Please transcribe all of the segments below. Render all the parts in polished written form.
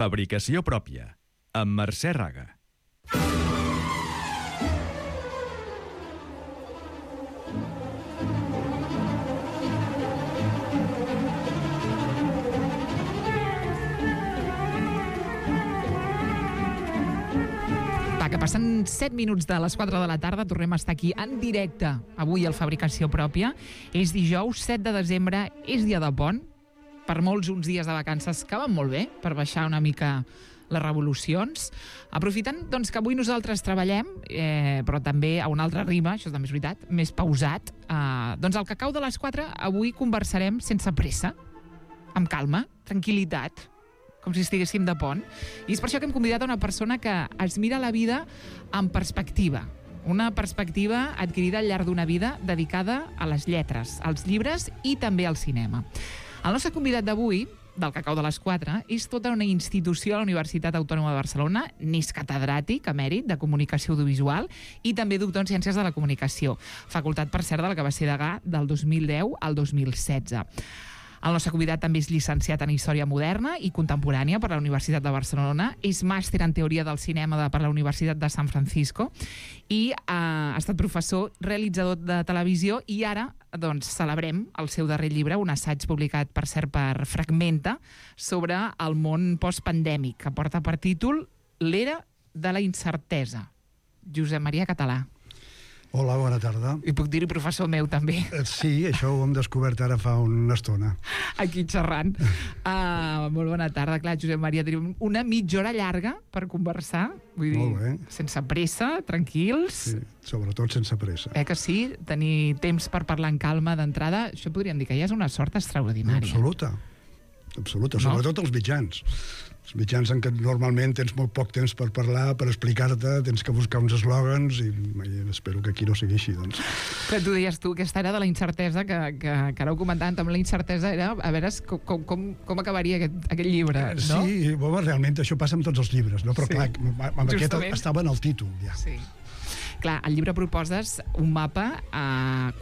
Fabricació pròpia, amb Mercè Raga. Que passen 7 minuts de les 4 de la tarda, tornem a estar aquí en directe avui al Fabricació Pròpia. És dijous 7 de desembre, és dia de pont. Per molts uns dies de vacances que van molt bé, per baixar una mica les revolucions. Aprofitant doncs, que avui nosaltres treballem, però també a un altre ritme, això també és veritat, més pausat, doncs al cacau de les 4 avui conversarem sense pressa, amb calma, tranquil·litat, com si estiguéssim de pont. I és per això que hem convidat a una persona que es mira la vida amb perspectiva. Una perspectiva adquirida al llarg d'una vida dedicada a les lletres, als llibres i també al cinema. El nostre convidat d'avui, del Cacau de les 4, és tota una institució a la Universitat Autònoma de Barcelona, n'és catedràtic emèrit de Comunicació Audiovisual i també doctor en Ciències de la Comunicació, facultat, per cert, de la que va ser degà del 2010 al 2016. El nostre convidat també és llicenciat en Història Moderna i Contemporània per la Universitat de Barcelona, és màster en Teoria del Cinema per la Universitat de San Francisco i ha estat professor, realitzador de televisió i ara doncs, celebrem el seu darrer llibre, un assaig publicat, per cert, per Fragmenta, sobre el món postpandèmic, que porta per títol L'era de la incertesa. Josep Maria Català. Hola, bona tarda. I puc dir-hi professor meu, també. Sí, això ho hem descobert ara fa una estona. Aquí xerrant. Molt bona tarda. Clar, Josep Maria, tenim una mitja hora llarga per conversar. Vull dir, sense pressa, tranquils. Sí, sobretot sense pressa. Que sí? Tenir temps per parlar en calma d'entrada, això podríem dir que ja és una sort extraordinària. Absoluta. Absoluta, no? Sobretot els mitjans. Els mitjans en què normalment tens molt poc temps per parlar, per explicar-te, tens que buscar uns eslògans i espero que aquí no sigui així, doncs. Però tu deies tu, aquesta era de la incertesa, que ara ho comentàvem, també la incertesa era a veure com acabaria aquest llibre, no? Sí, realment això passa amb tots els llibres, no? Però sí, clar, amb aquest estava en el títol, ja. Sí. Clar, al llibre proposes un mapa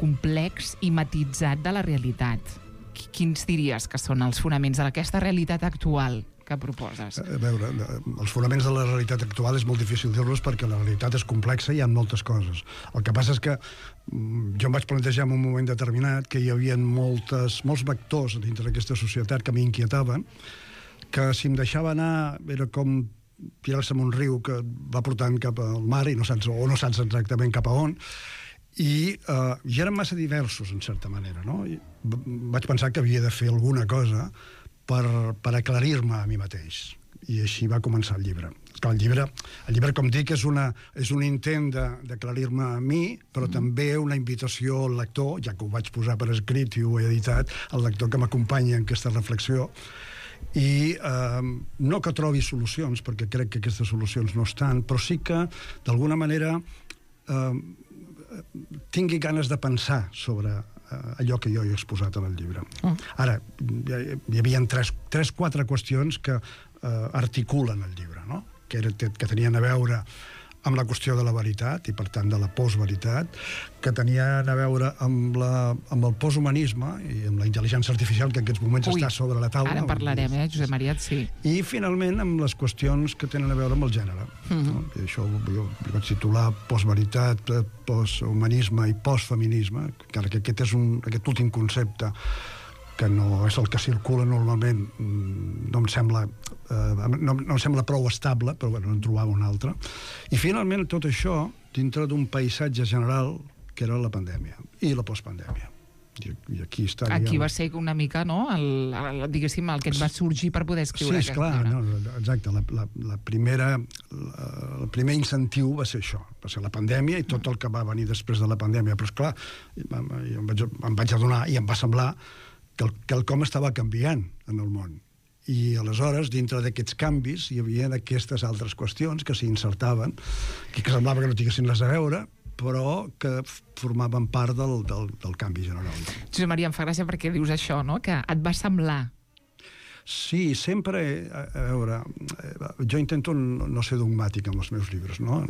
complex i matitzat de la realitat. Quins diries que són els fonaments d'aquesta realitat actual que proposes? A veure, els fonaments de la realitat actual és molt difícil dir-los perquè la realitat és complexa i hi ha moltes coses. El que passa és que jo em vaig plantejar en un moment determinat que hi havia molts vectors dintre d'aquesta societat que m'inquietaven, que si em deixava anar era com tirar-se en un riu que va portant cap al mar i no saps exactament cap a on, i eren massa diversos, en certa manera, no? I vaig pensar que havia de fer alguna cosa per aclarir-me a mi mateix. I així va començar el llibre. Clar, el llibre, com dic, és un intent d'aclarir-me a mi, però també una invitació al lector, ja que ho vaig posar per escrit i ho he editat, al lector que m'acompanya en aquesta reflexió, i no que trobi solucions, perquè crec que aquestes solucions no estan, però sí que, d'alguna manera, tingui ganes de pensar sobre allò que jo he exposat en el llibre. Ara, hi havia 3-4 qüestions que articulen el llibre, no? Que tenien a veure amb la qüestió de la veritat i, per tant, de la postveritat, que tenien a veure amb el posthumanisme i amb la intel·ligència artificial que en aquests moments està sobre la taula. Ara en parlarem, Josep Maria, sí. I, finalment, amb les qüestions que tenen a veure amb el gènere. No? I això jo vaig titular postveritat, posthumanisme i postfeminisme, encara que aquest últim concepte, que no és el que circula normalment, no em sembla prou estable, però bueno, en trobava un altre. I finalment tot això dintre d'un paisatge general que era la pandèmia i la postpandèmia. I aquí està... Aquí va ser una mica, no?, diguéssim, el que et va sorgir per poder escriure aquest llibre. Sí, esclar, exacte. El primer incentiu va ser això, va ser la pandèmia i tot el que va venir després de la pandèmia. Però, esclar, em vaig adonar i em va semblar que quelcom estava canviant en el món. I aleshores, dintre d'aquests canvis, hi havia aquestes altres qüestions que s'hi insertaven, que semblava que no tinguessin res a veure, però que formaven part del canvi general. Josep Maria, em fa gràcia perquè dius això, no?, que et va semblar. Sí, sempre, a veure, jo intento no ser dogmàtic amb els meus llibres, no?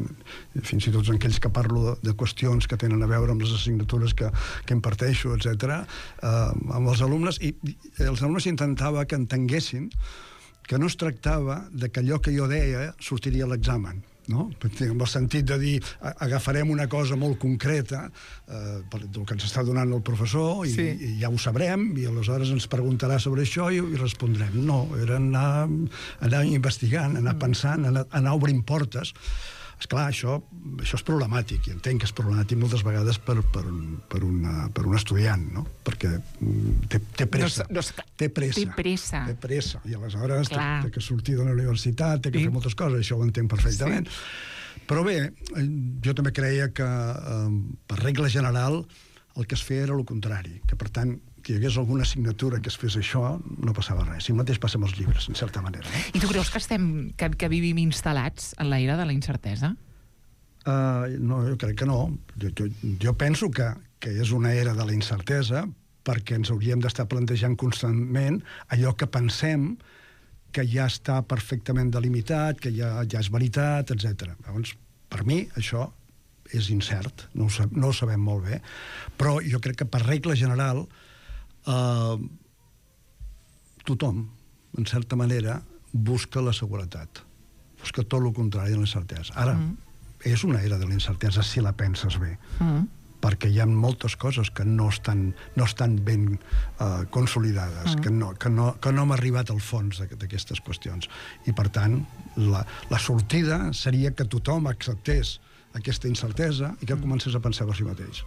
Fins i tot en aquells que parlo de qüestions que tenen a veure amb les assignatures que imparteixo, etc. Amb els alumnes, i els alumnes intentava que entenguessin que no es tractava de que allò que jo deia sortiria a l'examen, no? En el sentit de dir, agafarem una cosa molt concreta, del que ens està donant el professor, i ja ho sabrem, i aleshores ens preguntarà sobre això i respondrem. No, era anar investigant, anar pensant, anar obrint portes. Esclar, això és problemàtic, i entenc que és problemàtic moltes vegades per un estudiant, no? Perquè té pressa. Té pressa. I aleshores té que sortir de la universitat, té que fer moltes coses, això ho entenc perfectament. Però bé, jo també creia que, per regla general, el que es feia era el contrari, que per tant, que hi hagués alguna assignatura que es fes això, no passava res. I el mateix passa amb els llibres, en certa manera. I tu creus que vivim instal·lats en l'era de la incertesa? No, jo crec que no. Jo penso que és una era de la incertesa perquè ens hauríem d'estar plantejant constantment allò que pensem que ja està perfectament delimitat, que ja és veritat, etc. Llavors, per mi, això és incert, no ho sabem molt bé, però jo crec que per regla general tothom, en certa manera, busca la seguretat. Busca tot el contrari de l'incertesa. Ara, és una era de l'incertesa si la penses bé, perquè hi ha moltes coses que no estan ben consolidades, que no hem arribat al fons d'aquestes qüestions. I, per tant, la sortida seria que tothom acceptés aquesta incertesa i que comencés a pensar per si mateix.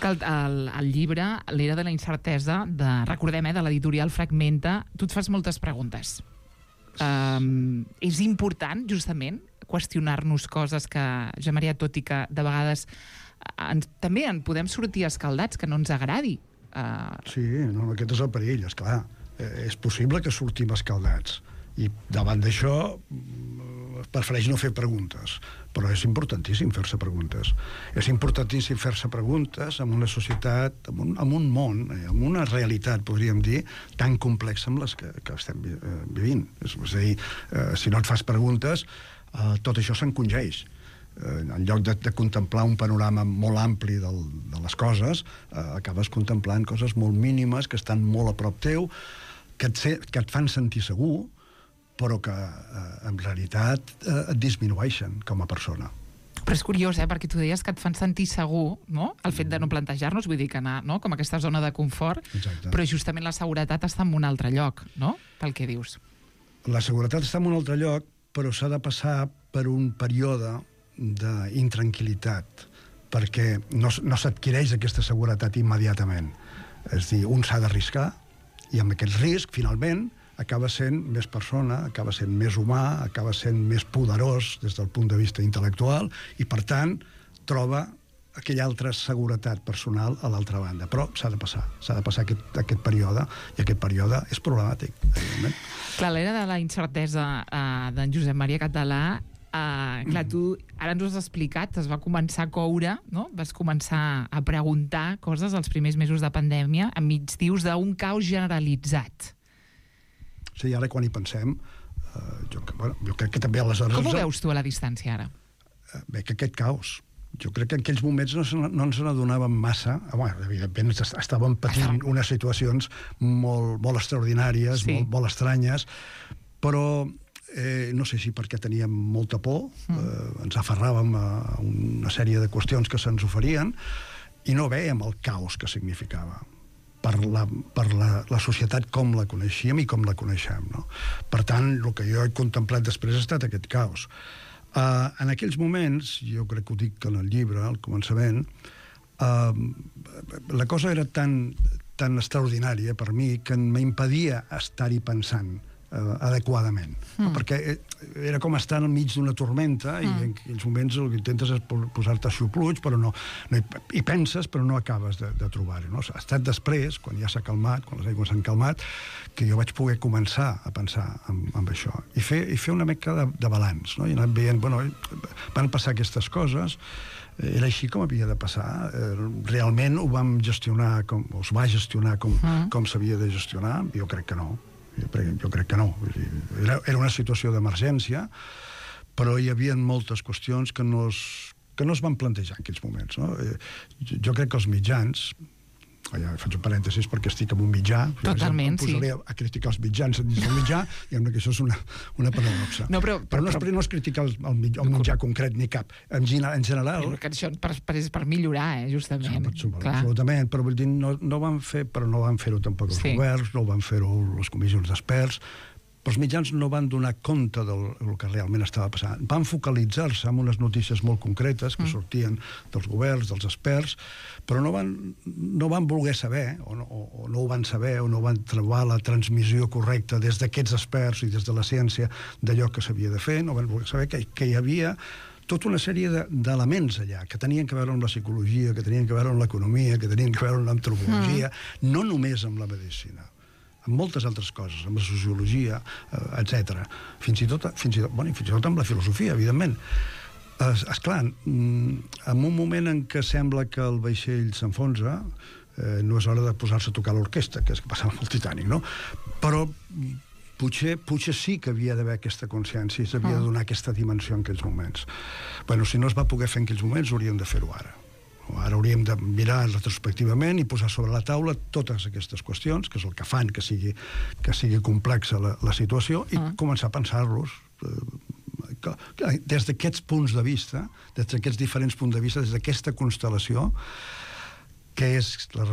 El llibre, l'era de la incertesa, recordem, de l'editorial Fragmenta, tu et fas moltes preguntes. És important, justament, qüestionar-nos coses que, Josep Maria, tot i que de vegades també en podem sortir escaldats, que no ens agradi. Sí, no, aquest és el perill, esclar. És possible que sortim escaldats. I davant d'això prefereix no fer preguntes, però és importantíssim fer-se preguntes. És importantíssim fer-se preguntes en una societat, en un món, en una realitat, podríem dir, tan complexa amb les que estem vivint. És a dir, si no et fas preguntes, tot això s'encongeix. En lloc de contemplar un panorama molt ampli de les coses, acabes contemplant coses molt mínimes que estan molt a prop teu, que et fan sentir segur, però que en realitat et disminueixen com a persona. Però és curiós, perquè tu deies que et fan sentir segur, no? El fet de no plantejar-nos, vull dir que anar, no? Com aquesta zona de confort. Exacte. Però justament la seguretat està en un altre lloc, no? Pel que dius. La seguretat està en un altre lloc, però s'ha de passar per un període d'intranquil·litat, perquè no s'adquireix aquesta seguretat immediatament. És a dir, un s'ha d'arriscar, i amb aquest risc, finalment, acaba sent més persona, acaba sent més humà, acaba sent més poderós des del punt de vista intel·lectual i, per tant, troba aquella altra seguretat personal a l'altra banda. Però s'ha de passar aquest període, i aquest període és problemàtic, evidentment. Clar, l'era de la incertesa d'en Josep Maria Català, clar, tu ara ens ho has explicat, es va començar a coure, no? Vas començar a preguntar coses els primers mesos de pandèmia, enmig dius d'un caos generalitzat. Sí, ara quan hi pensem, jo crec que també aleshores... Com ho veus tu a la distància ara? Bé, que aquest caos. Jo crec que en aquells moments no ens n'adonàvem massa. Evidentment, estàvem patint unes situacions molt extraordinàries, molt estranyes, però no sé si perquè teníem molta por, ens aferràvem a una sèrie de qüestions que se'ns oferien i no vèiem el caos que significava per la societat com la coneixíem i com la coneixem, no? Per tant, el que jo he contemplat després ha estat aquest caos. En aquells moments, jo crec que ho dic en el llibre, al començament, la cosa era tan extraordinària per mi que m'impedia estar-hi pensant adequadament, perquè era com estar enmig d'una tormenta i en aquells moments el que intentes és posar-te xupluig, però hi penses però no acabes de trobar-ho, no? Ha estat després, quan ja s'ha calmat, quan les aigües s'han calmat, que jo vaig poder començar a pensar en això i fer una mica de balanç, no? I anar veient, van passar aquestes coses, era així com havia de passar, realment ho vam gestionar, es va gestionar com s'havia de gestionar? Jo crec que no. Jo crec que no. Era una situació d'emergència, però hi havia moltes qüestions que no es van plantejar en aquells moments, no? Jo crec que els mitjans, Ja faig un parèntesis perquè estic en un mitjà. Totalment, sí. Em posaré a criticar els mitjans dins del mitjà, i que això és una paradoxa. No, però no és criticar el mitjà concret ni cap. En general... Que això és per millorar, justament. Absolutament, però vull dir, no van fer-ho tampoc els governs, no van fer-ho les comissions d'experts. Els mitjans no van donar compte del que realment estava passant. Van focalitzar-se en unes notícies molt concretes que sortien dels governs, dels experts, però no van voler saber, o no ho van saber, o no van trobar la transmissió correcta des d'aquests experts i des de la ciència d'allò que s'havia de fer, no van voler saber que hi havia tota una sèrie d'elements allà, que tenien que veure amb la psicologia, que tenien que veure amb l'economia, que tenien que veure amb l'antropologia, no només amb la medicina, amb moltes altres coses, amb la sociologia, etc. Fins i tot amb la filosofia, evidentment. Esclar, en un moment en què sembla que el vaixell s'enfonsa, no és hora de posar-se a tocar l'orquestra, que és que passava amb el Titanic, no? Però potser sí que havia d'haver aquesta consciència i s'havia de donar aquesta dimensió en aquells moments. Bueno, si no es va poder fer en aquells moments, hauríem de fer-ho ara. Ara hauríem de mirar retrospectivament i posar sobre la taula totes aquestes qüestions, que és el que fan que sigui complexa la situació, i començar a pensar-los des d'aquests punts de vista, des d'aquests diferents punts de vista, des d'aquesta constel·lació, quina és la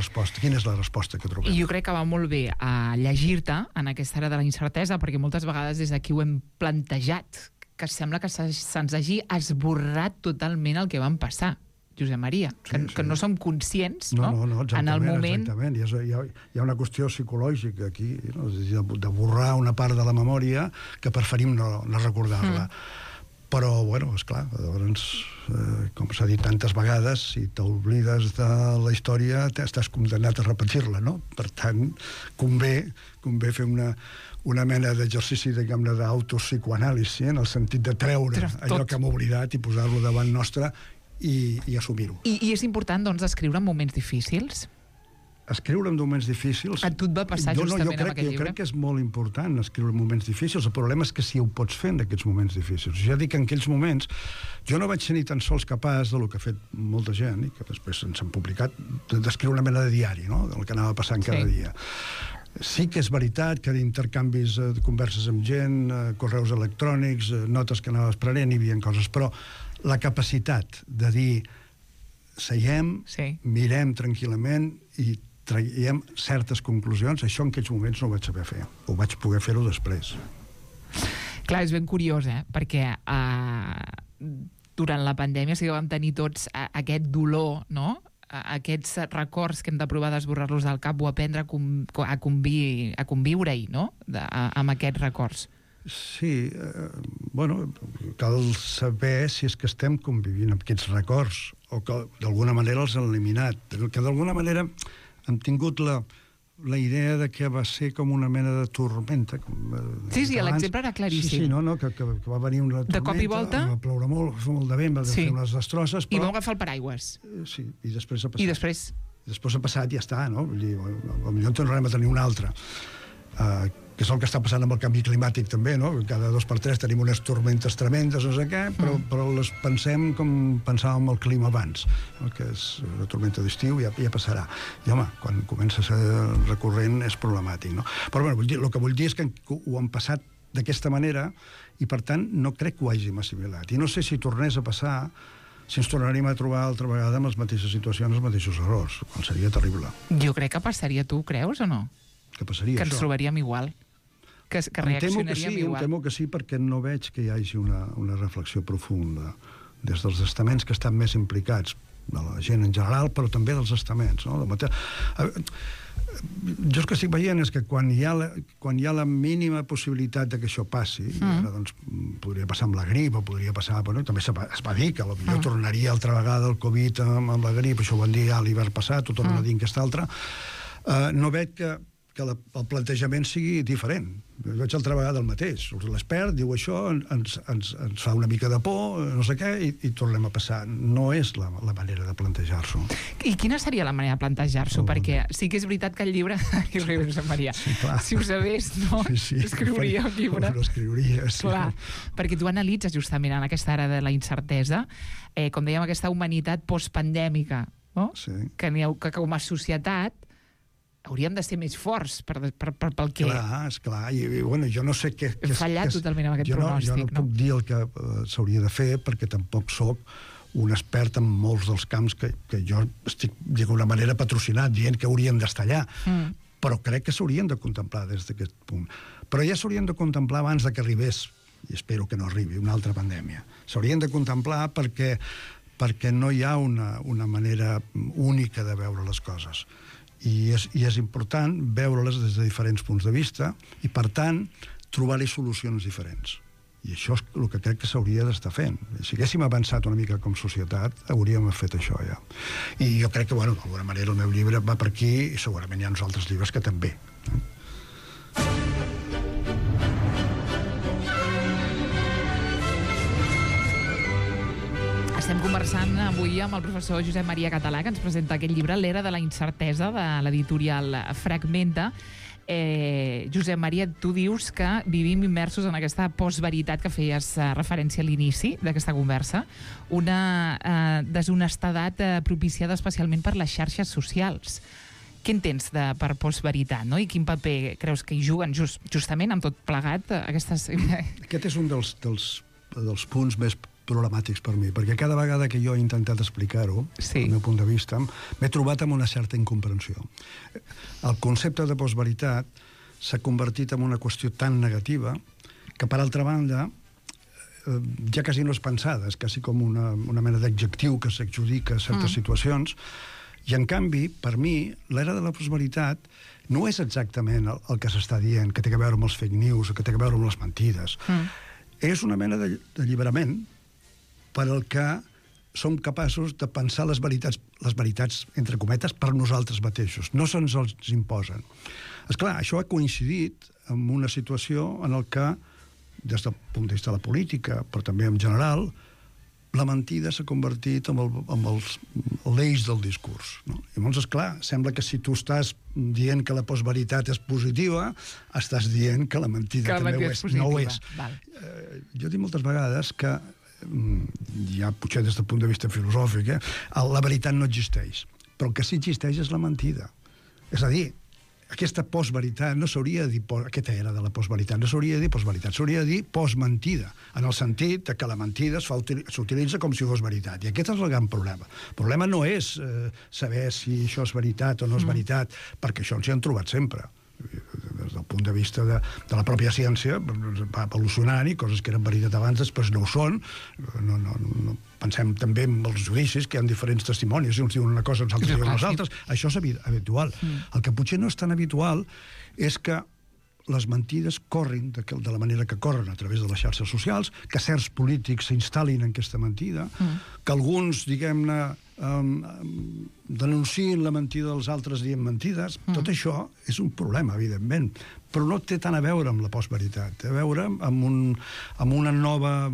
resposta que trobem. I jo crec que va molt bé a llegir-te en aquesta era de la incertesa, perquè moltes vegades des d'aquí ho hem plantejat, que sembla que se'ns hagi esborrat totalment el que van passar, Josep Maria, que no som conscients, no? En el moment... Exactament, hi ha una qüestió psicològica aquí, no? De borrar una part de la memòria que preferim no recordar-la. Però, bueno, esclar, llavors, com s'ha dit tantes vegades, si t'oblides de la història, estàs condemnat a repetir-la, no? Per tant, convé fer una mena d'exercici, diguem-ne, d'autopsicoanàlisi, en el sentit de treure allò que hem oblidat i posar-lo davant nostre i assumir-ho. I és important, doncs, escriure en moments difícils? Escriure en moments difícils... A tu et va passar justament amb aquest llibre? Jo crec que és molt important escriure en moments difícils. El problema és que si ho pots fer en aquests moments difícils. Ja dic que en aquells moments jo no vaig ser ni tan sols capaç del que ha fet molta gent, i que després ens han publicat, d'escriure una mena de diari, no?, del que anava passant cada dia. Sí que és veritat que d'intercanvis de converses amb gent, correus electrònics, notes que anaves prenent, hi havia coses, però la capacitat de dir seiem, mirem tranquil·lament i traiem certes conclusions, això en aquells moments no ho vaig saber fer. Ho vaig poder fer-ho després. Clar, és ben curiós, perquè durant la pandèmia sí que vam tenir tots aquest dolor, no?, aquests records que hem de provar d'esborrar-los del cap o aprendre a conviure-hi, no?, amb aquests records. Sí, bueno, cal saber si és que estem convivint amb aquests records o que d'alguna manera els han eliminat, que d'alguna manera hem tingut la idea de que va ser com una mena de tormenta. Sí, l'exemple era claríssim. Sí, que va venir una tormenta, de cop i volta, va ploure molt, va fer molt de vent, va fer unes destrosses, i vam agafar el paraigües. Sí, i després ha passat. I després ha passat i ja està, no? Vull dir, potser en tornarem a tenir una altra. Que és el que està passant amb el canvi climàtic també, no? Cada 2 per 3 tenim unes tormentes tremendes, no sé què, però les pensem com pensàvem el clima abans, que és una tormenta d'estiu, ja passarà. I home, quan comença a ser recurrent és problemàtic, no? Però bueno, el que vull dir és que ho han passat d'aquesta manera i per tant no crec que ho hàgim assimilat. I no sé si tornés a passar, si ens tornaríem a trobar altra vegada amb les mateixes situacions, els mateixos errors, quan seria terrible. Jo crec que passaria, tu creus o no? Que passaria, que ens trobaríem igual. Que reaccionaríem igual. Em temo que sí, perquè no veig que hi hagi una reflexió profunda des dels estaments que estan més implicats, de la gent en general, però també dels estaments, no? Jo el que estic veient és que quan hi ha la mínima possibilitat de que això passi, i ara doncs podria passar amb la grip, o podria passar... Bueno, també es va dir que potser tornaria altra vegada el Covid amb la grip, això ho van dir ja l'hivern passat, ho tornen a dir en aquesta altra. No veig que el plantejament sigui diferent. Jo veig altra vegada el mateix. L'expert diu això, ens fa una mica de por, no sé què, i tornem a passar. No és la manera de plantejar-s'ho. I quina seria la manera de plantejar-s'ho? Perquè sí que és veritat que el llibre... Maria, si ho sabés, no? Escriuria el llibre. Ho escriuria, sí. Clar, perquè tu analitzes justament en aquesta era de la incertesa, com dèiem, aquesta humanitat postpandèmica, no? Sí. Que com a societat hauríem de ser més forts pel que... Clar, esclar. I bueno, jo no sé què... Hem fallat totalment amb aquest pronòstic, Jo no puc dir el que s'hauria de fer, perquè tampoc sóc un expert en molts dels camps que jo estic, d'alguna manera, patrocinat, dient que haurien d'estar allà. Però crec que s'haurien de contemplar des d'aquest punt. Però ja s'haurien de contemplar abans de que arribés, i espero que no arribi, una altra pandèmia. S'haurien de contemplar perquè no hi ha una manera única de veure les coses. I és important veure-les des de diferents punts de vista i, per tant, trobar-hi solucions diferents. I això és el que crec que s'hauria d'estar fent. Si haguéssim avançat una mica com a societat, hauríem fet això ja. I jo crec que, d'alguna manera, el meu llibre va per aquí i segurament hi ha uns altres llibres que també. Estem conversant avui amb el professor Josep Maria Català, que ens presenta aquest llibre, L'era de la incertesa, de l'editorial Fragmenta. Josep Maria, tu dius que vivim immersos en aquesta postveritat que feies referència a l'inici d'aquesta conversa, una deshonestedat propiciada especialment per les xarxes socials. Què entens per postveritat, no? I quin paper creus que hi juguen justament amb tot plegat aquestes... Aquest és un dels punts més problemàtics per mi, perquè cada vegada que jo he intentat explicar-ho, sí, del meu punt de vista, m'he trobat amb una certa incomprensió. El concepte de postveritat s'ha convertit en una qüestió tan negativa que, per altra banda, ja quasi no és pensada, és quasi com una mena d'adjectiu que s'adjudica a certes situacions, i en canvi, per mi, l'era de la postveritat no és exactament el que s'està dient, que té a veure amb els fake news, que té a veure amb les mentides. És una mena d'alliberament per al que som capaços de pensar les veritats, entre cometes, per nosaltres mateixos. No se'ns els imposen. Esclar, això ha coincidit amb una situació en el que, des del punt de vista de la política, però també en general, la mentida s'ha convertit en l'eix del discurs. No? I llavors, esclar, sembla que si tu estàs dient que la postveritat és positiva, estàs dient que la mentida també ho és. No ho és. Jo dic moltes vegades que ja potser des del punt de vista filosòfic, la veritat no existeix, però el que sí existeix és la mentida. És a dir, aquesta postveritat no s'hauria de dir, aquesta era de la postveritat, no s'hauria de dir postveritat, s'hauria de dir postmentida, en el sentit que la mentida s'utilitza com si fos veritat. I aquest és el gran problema. El problema no és saber si això és veritat o no és veritat, perquè això ens hi han trobat sempre. Des del punt de vista de la pròpia ciència, va evolucionant i coses que eren veritat abans després no ho són. Pensem també en els judicis, que hi ha diferents testimonis, si uns diuen una cosa, uns altres diuen les altres. Això és habitual. El que potser no és tan habitual és que les mentides corrin de la manera que corren a través de les xarxes socials, que certs polítics s'instal·lin en aquesta mentida, que alguns, diguem-ne, denunciïn la mentida dels altres dient mentides. Tot això és un problema, evidentment, però no té tant a veure amb la postveritat, té a veure amb una nova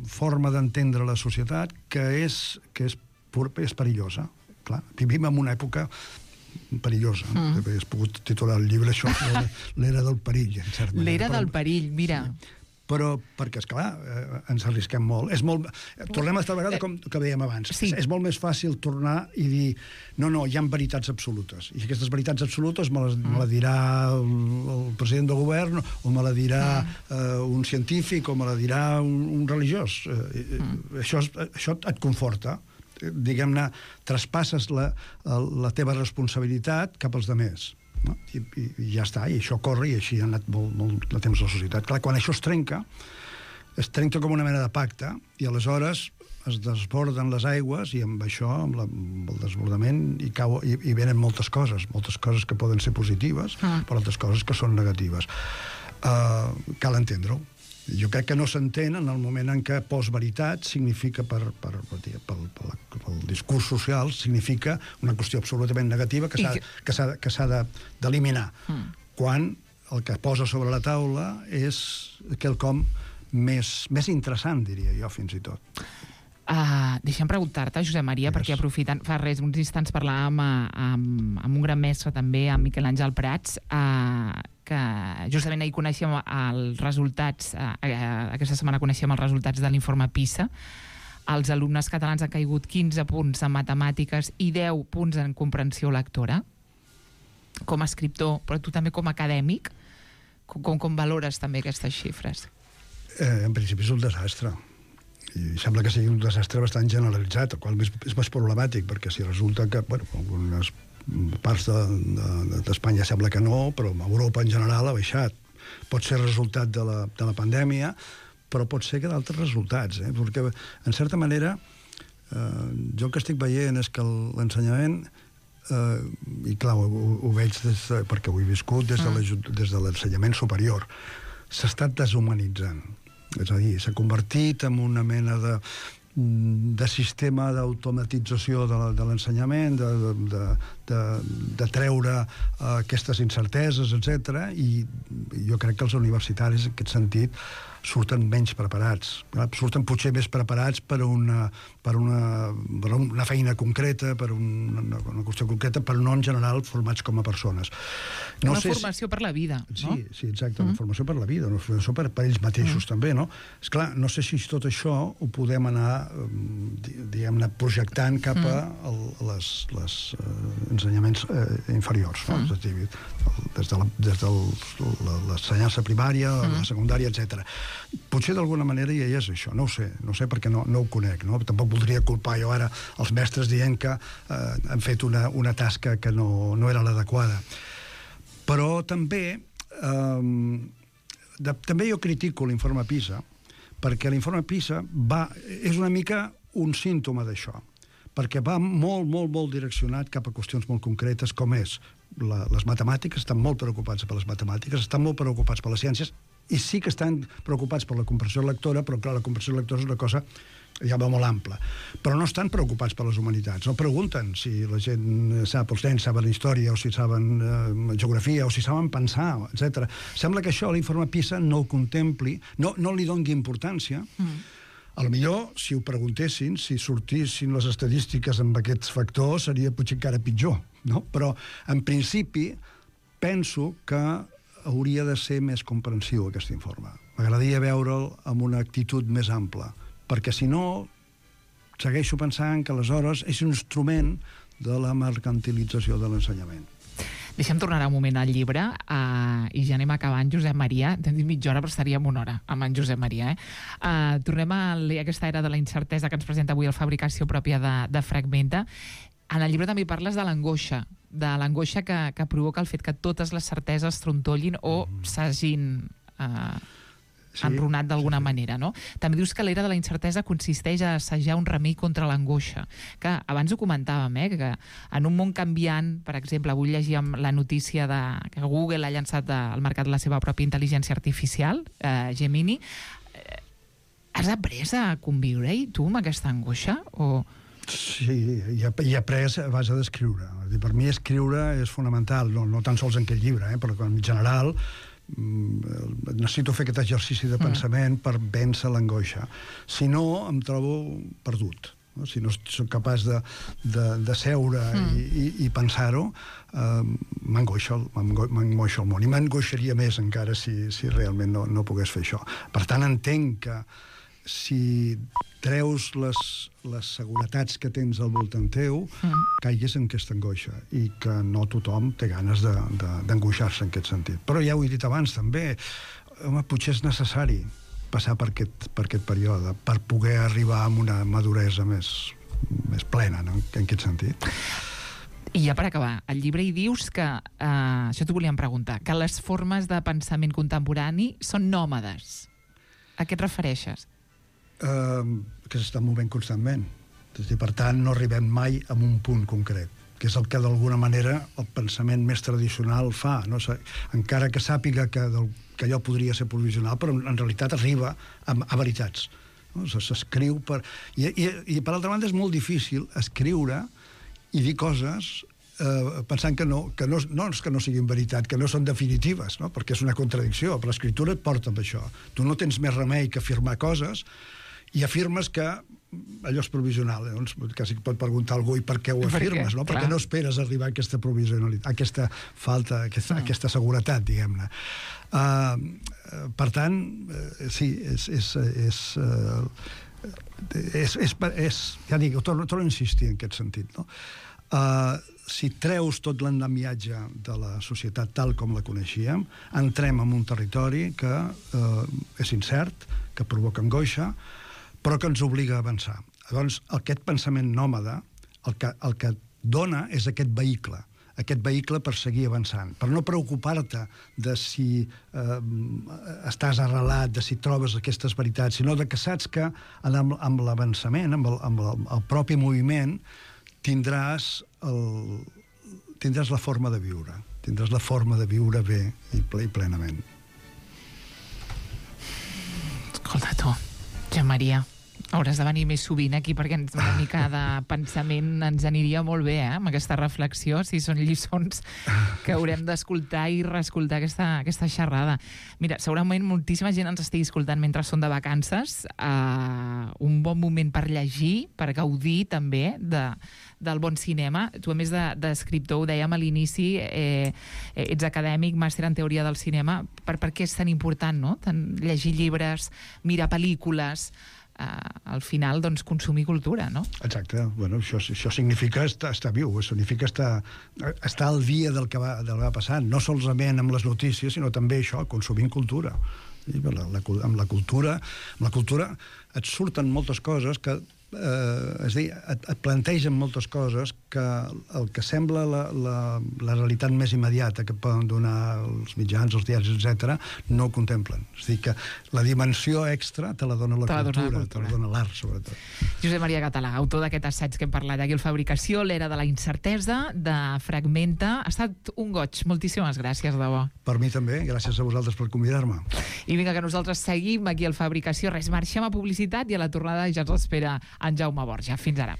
forma d'entendre la societat que és perillosa. Clar, vivim en una època perillosa. Has pogut titular el llibre això, l'era del perill, en certa manera. L'era del perill, mira. Però, perquè, esclar, ens arrisquem molt. Tornem a estar vegada com que dèiem abans. Sí. És molt més fàcil tornar i dir no, hi ha veritats absolutes. I aquestes veritats absolutes me la dirà el president del govern, o me la dirà un científic, o me la dirà un religiós. Això et conforta. Diguem-ne, traspasses la teva responsabilitat cap als altres. No? I ja està, i això corre, i així ha anat molt de temps a la societat. Clar, quan això es trenca com una mena de pacte, i aleshores es desborden les aigües, i amb això, amb el desbordament, hi venen moltes coses que poden ser positives, però altres coses que són negatives. Cal entendre-ho. Jo crec que no s'entén en el moment en què postveritat significa, pel discurs social, significa una qüestió absolutament negativa que s'ha d'eliminar. Quan el que posa sobre la taula és quelcom més interessant, diria jo, fins i tot. Deixa'm preguntar-te, Josep Maria, perquè aprofitant, fa uns instants parlàvem amb un gran mestre també, amb Miquel Àngel Prats, que justament ahir coneixem els resultats, aquesta setmana coneixem els resultats de l'informe PISA, els alumnes catalans han caigut 15 punts en matemàtiques i 10 punts en comprensió lectora. Com a escriptor, però tu també com a acadèmic, com valores també aquestes xifres? En principi és un desastre. I sembla que sigui un desastre bastant generalitzat, el qual és més problemàtic, perquè si resulta que, bueno, algunes parts d'Espanya sembla que no, però Europa en general ha baixat. Pot ser resultat de la pandèmia, però pot ser que d'altres resultats, perquè, en certa manera, jo el que estic veient és que l'ensenyament, i clar, ho veig perquè ho he viscut des de l'ensenyament superior, s'ha estat deshumanitzant. És a dir, s'ha convertit en una mena de sistema d'automatització de l'ensenyament, de treure aquestes incerteses, etc. I jo crec que els universitaris, en aquest sentit, surten menys preparats. Surten potser més preparats per una feina concreta, per una qüestió concreta, però no en general formats com a persones. Una formació per la vida, no? Sí, exacte, una formació per la vida, una formació per ells mateixos també, no? Esclar, no sé si tot això ho podem anar, diguem-ne, projectant cap a els ensenyaments inferiors, no? Des de l'ensenyança primària, la secundària, etc. Potser d'alguna manera ja és això, no ho sé perquè no ho conec, no? Tampoc voldria culpar jo ara els mestres dient que han fet una tasca que no era l'adequada. Però també jo critico l'informe PISA, perquè l'informe PISA és una mica un símptoma d'això, perquè va molt direccionat cap a qüestions molt concretes, com és les matemàtiques. Estan molt preocupats per les matemàtiques, estan molt preocupats per les ciències, i sí que estan preocupats per la comprensió lectora, però clar, la comprensió lectora és una cosa ja va molt ampla. Però no estan preocupats per les humanitats. No pregunten si la gent sap, els nens saben història, o si saben geografia, o si saben pensar, etc. Sembla que això l'informe PISA no ho contempli, no li doni importància. A lo millor, si ho preguntessin, si sortissin les estadístiques amb aquests factors, seria potser encara pitjor, no? Però, en principi, penso que hauria de ser més comprensiu, aquest informe. M'agradaria veure'l amb una actitud més ampla, perquè, si no, segueixo pensant que, aleshores, és un instrument de la mercantilització de l'ensenyament. Deixa'm tornar un moment al llibre i ja anem acabant. Josep Maria, t'hem dit mitja hora, però estaríem una hora amb en Josep Maria. Tornem a aquesta era de la incertesa que ens presenta avui el Fabricació Pròpia de Fragmenta. En el llibre també parles de l'angoixa que provoca el fet que totes les certeses trontollin o s'hagin enrunat d'alguna manera, no? També dius que l'era de la incertesa consisteix a assajar un remei contra l'angoixa, que abans ho comentàvem, que en un món canviant, per exemple, avui llegíem la notícia que Google ha llançat al mercat la seva pròpia intel·ligència artificial, Gemini. Has après a conviure-hi, tu, amb aquesta angoixa? Sí, i he après a base d'escriure. Per mi escriure és fonamental, no tan sols en aquest llibre, però en general necessito fer aquest exercici de pensament per vèncer l'angoixa. Si no, em trobo perdut. Si no soc capaç de seure i pensar-ho, m'angoixa el món. I m'angoixaria més encara si realment no pogués fer això. Per tant, entenc que si treus les seguretats que tens al voltant teu, caigues en aquesta angoixa, i que no tothom té ganes d'angoixar-se en aquest sentit. Però ja ho he dit abans, també, potser és necessari passar per aquest període per poder arribar a una maduresa més plena, no? En aquest sentit. I ja per acabar, al llibre hi dius que, això t'ho volíem preguntar, que les formes de pensament contemporani són nòmades. A què et refereixes? Que s'estan movent constantment. Per tant, no arribem mai a un punt concret, que és el que d'alguna manera el pensament més tradicional fa. Encara que sàpiga que allò podria ser provisional, però en realitat arriba a veritats. S'escriu per... I per altra banda és molt difícil escriure i dir coses pensant que no és que no siguin veritat, que no són definitives, no? Perquè és una contradicció, però l'escriptura et porta amb això. Tu no tens més remei que afirmar coses, i afirmes que allò és provisional. Llavors, quasi pot preguntar a algú, i per què ho afirmes, no? Perquè no esperes arribar a aquesta provisionalitat, a aquesta falta, a aquesta seguretat, diguem-ne. Per tant, sí, ja dic, torno a insistir en aquest sentit, no? Si treus tot l'endemiatge de la societat tal com la coneixíem, entrem en un territori que és incert, que provoca angoixa, però que ens obliga a avançar. Doncs aquest pensament nòmada el que dona és aquest vehicle per seguir avançant, per no preocupar-te de si estàs arrelat, de si trobes aquestes veritats, sinó de que saps que amb l'avançament, amb el propi moviment, tindràs la forma de viure. Tindràs la forma de viure bé i plenament. Escolta tu, Joan Maria, hauràs de venir més sovint aquí perquè una mica de pensament ens aniria molt bé, amb aquesta reflexió, si són lliçons que haurem d'escoltar i reescoltar aquesta xerrada. Mira, segurament moltíssima gent ens estigui escoltant mentre són de vacances, un bon moment per llegir, per gaudir també del bon cinema. Tu, a més d'escriptor, ho dèiem a l'inici, ets acadèmic, màster en teoria del cinema. Per què és tan important, no? Llegir llibres, mirar pel·lícules, al final, doncs, consumir cultura, no? Exacte. Bueno, això significa estar viu, significa estar al dia del que va passant, no solament amb les notícies, sinó també això, consumint cultura. I amb la cultura et surten moltes coses que és a dir, et plantegen moltes coses que el que sembla la realitat més immediata que poden donar els mitjans, els diaris, etc., no ho contemplen. És a dir, que la dimensió extra te la dona la cultura, te la dona l'art, sobretot. Josep Maria Català, autor d'aquest assaig que hem parlat aquí, el Fabricació, l'era de la incertesa, de Fragmenta. Ha estat un goig. Moltíssimes gràcies, de debò. Per mi també. Gràcies a vosaltres per convidar-me. I vinga, que nosaltres seguim aquí al Fabricació. Res, marxem a publicitat i a la tornada ja ens espera en Jaume Borja. Fins ara.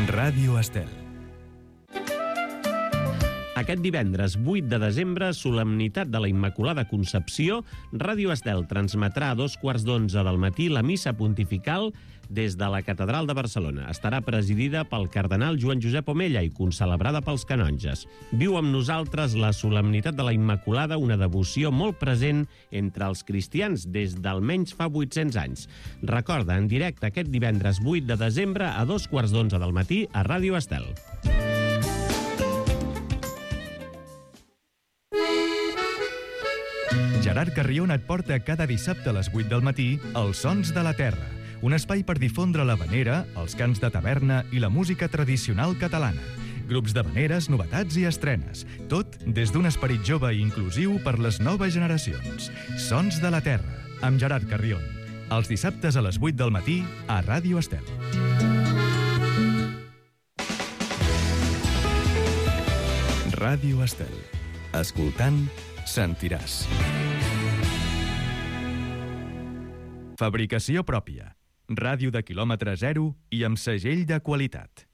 Ràdio Estel. Aquest divendres 8 de desembre, solemnitat de la Immaculada Concepció, Ràdio Estel transmetrà a 11:15 del matí la missa pontifical des de la Catedral de Barcelona. Estarà presidida pel cardenal Joan Josep Omella i concelebrada pels canonges. Viu amb nosaltres la solemnitat de la Immaculada, una devoció molt present entre els cristians des d'almenys fa 800 anys. Recorda, en directe aquest divendres 8 de desembre a 11:15 del matí a Ràdio Estel. Gerard Carrion et porta cada dissabte a les 8 del matí Els Sons de la Terra, un espai per difondre l'havanera, els cants de taverna i la música tradicional catalana. Grups d'havaneres, novetats i estrenes. Tot des d'un esperit jove i inclusiu per les noves generacions. Sons de la Terra, amb Gerard Carrion. Els dissabtes a les 8 del matí a Ràdio Estel. Ràdio Estel. Escoltant, sentiràs. Fabricació pròpia. Ràdio de quilòmetre zero i amb segell de qualitat.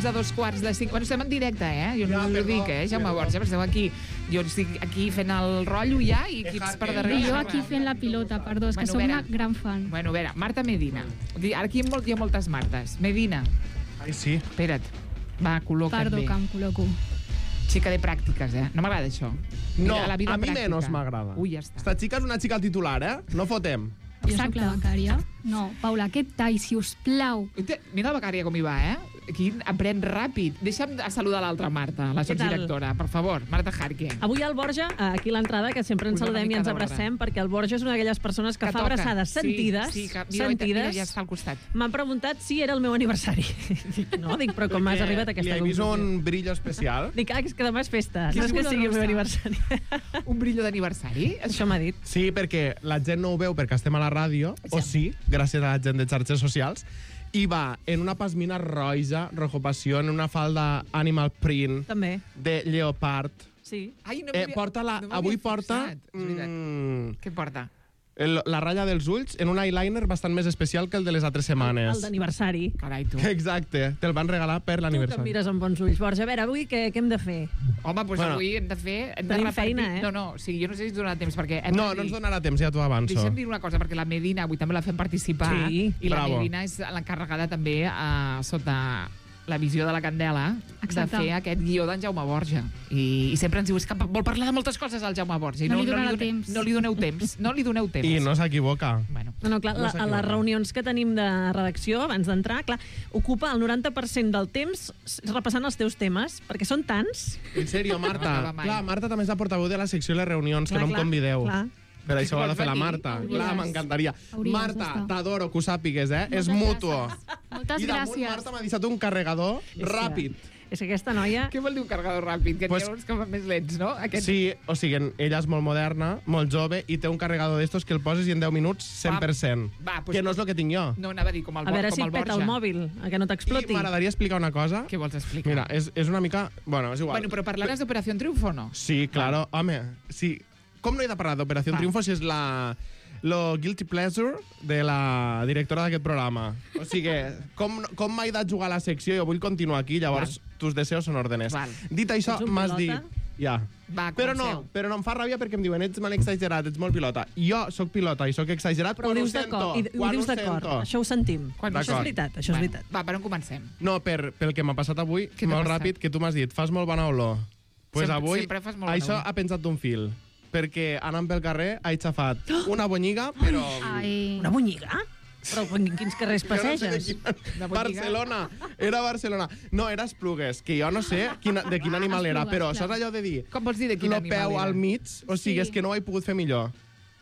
A 2:45. Bueno, estem en directe, Jo no ho dic, Jaume Borja, esteu aquí. Jo estic aquí fent el rotllo ja i equips per darrere. I jo aquí fent la pilota, perdó, és que som una gran fan. Bueno, a veure, Marta Medina. Aquí hi ha moltes Martes. Medina. Ai, sí. Espera't. Va, col·loca't Perdó, bé. que em col·loco. Xica de pràctiques, No m'agrada això. No, la vida a mi pràctica. menos m'agrada. Ui, ja està. Esta xica és una xica al titular, No fotem. Jo soc la becària. No, Paula, aquest tall, si us plau. Mira la becària com hi va, Quin aprèn ràpid. Deixa'm saludar l'altra Marta, la sotsdirectora, per favor. Marta Jarque. Avui al Borja, aquí a l'entrada, que sempre ens saludem i ens abracem, perquè el Borja és una d'aquelles persones que fa abraçades sentides. Sí, mira, ja està al costat. M'han preguntat si era el meu aniversari. No, dic, però com has arribat a aquesta Li he conclusió? vist un brillo especial. Dic, és que demà és festa. No és que sigui el meu aniversari. Un brillo d'aniversari? Això m'ha dit. Sí, perquè la gent no ho veu perquè estem a la ràdio, o sí, gràcies a la gent de xarxes socials, i va en una pasmina roja, rojo passió, en una falda animal print, També. de lleopard. Sí. Ai, Avui porta... Què porta? La ratlla dels ulls en un eyeliner bastant més especial que el de les altres setmanes. El d'aniversari. Carai, tu. Exacte, te'l van regalar per Tu que em l'aniversari. mires amb bons ulls. Borja, a veure, avui què hem de fer? Home, doncs avui hem de fer... Tenim feina, eh? No, o sigui, jo no sé si ens donarà temps, perquè... No ens donarà temps, ja t'ho avanço. Deixa'm dir una cosa, perquè la Medina avui també la fem participar, Sí, i la bravo. Medina és l'encarregada també sota la visió de la Candela Exacte. de fer aquest guió d'en Jaume Borja. I sempre ens diu, és que vol parlar de moltes coses al Jaume Borja. I No li donarà temps. No li doneu temps. No li doneu temps. I no s'equivoca. Bueno, No, clar, a les reunions que tenim de redacció, abans d'entrar, clar, ocupa el 90% del temps repassant els teus temes, perquè són tants. En sèrio, No Marta. acaba mai. Clar, Marta també és la portaveu de la secció de les reunions, que no em convideu. Clar. Per això ho ha de fer la Vols Marta. venir? Clar, Hauries. m'encantaria. Hauries Marta, d'estar. t'adoro, que ho sàpigues, eh? És Moltes mutuo. gràcies. Moltes I damunt gràcies. Marta m'ha deixat un carregador ràpid. És que aquesta noia... què vol dir un carregador ràpid? Que Pues- n'hi ha uns que van més lents, no? Sí, o sigui, ella és molt moderna, molt jove, i té un carregador d'estos que el poses i en 10 minuts 100%. Va, pues- que no és el que tinc jo. No, anava a dir com el, A veure com si el et peta Borja. el mòbil, a que no I t'exploti. m'agradaria explicar una cosa. Què vols explicar? Mira, és una mica... Bueno, és igual. Bueno, però parlaràs d'Operació Triunfo o no? Sí, claro. Home, sí. Com no he de parlar d'Operació Va. Triunfo si és lo guilty pleasure de la directora d'aquest programa? O sigui, com m'he de jugar a la secció? Jo vull continuar aquí, llavors tus deseos són órdenes. Val. Dit això, Ets un m'has dit... pilota? Ja. Va, Però comenceu. no em fa ràbia perquè em diuen ets molt exagerat, ets molt pilota. Jo sóc pilota i sóc exagerat Però ho quan ho dius sento. d'acord, i ho Quan dius ho d'acord. sento. Això ho sentim. Quan- Això és D'acord. veritat, això és veritat. Va, per on comencem? No, pel que m'ha passat avui, Què t'ha molt passat? ràpid, que tu m'has dit, fas molt bona olor. Pues avui, sempre fas molt bona això olor. ha pensat d'un fil. Perquè anant pel carrer he xafat una bonyiga, però... Ai. Una bonyiga? Però en quins carrers Jo no sé de passeges? Una bonyiga? Barcelona. Era Barcelona. No, era Esplugues, que jo no sé de quin animal era, Esplugues, però clar. saps allò de dir... Com vols dir de quin Lo animal peu era? al mig, o sigui, Sí. és que no ho he pogut fer millor.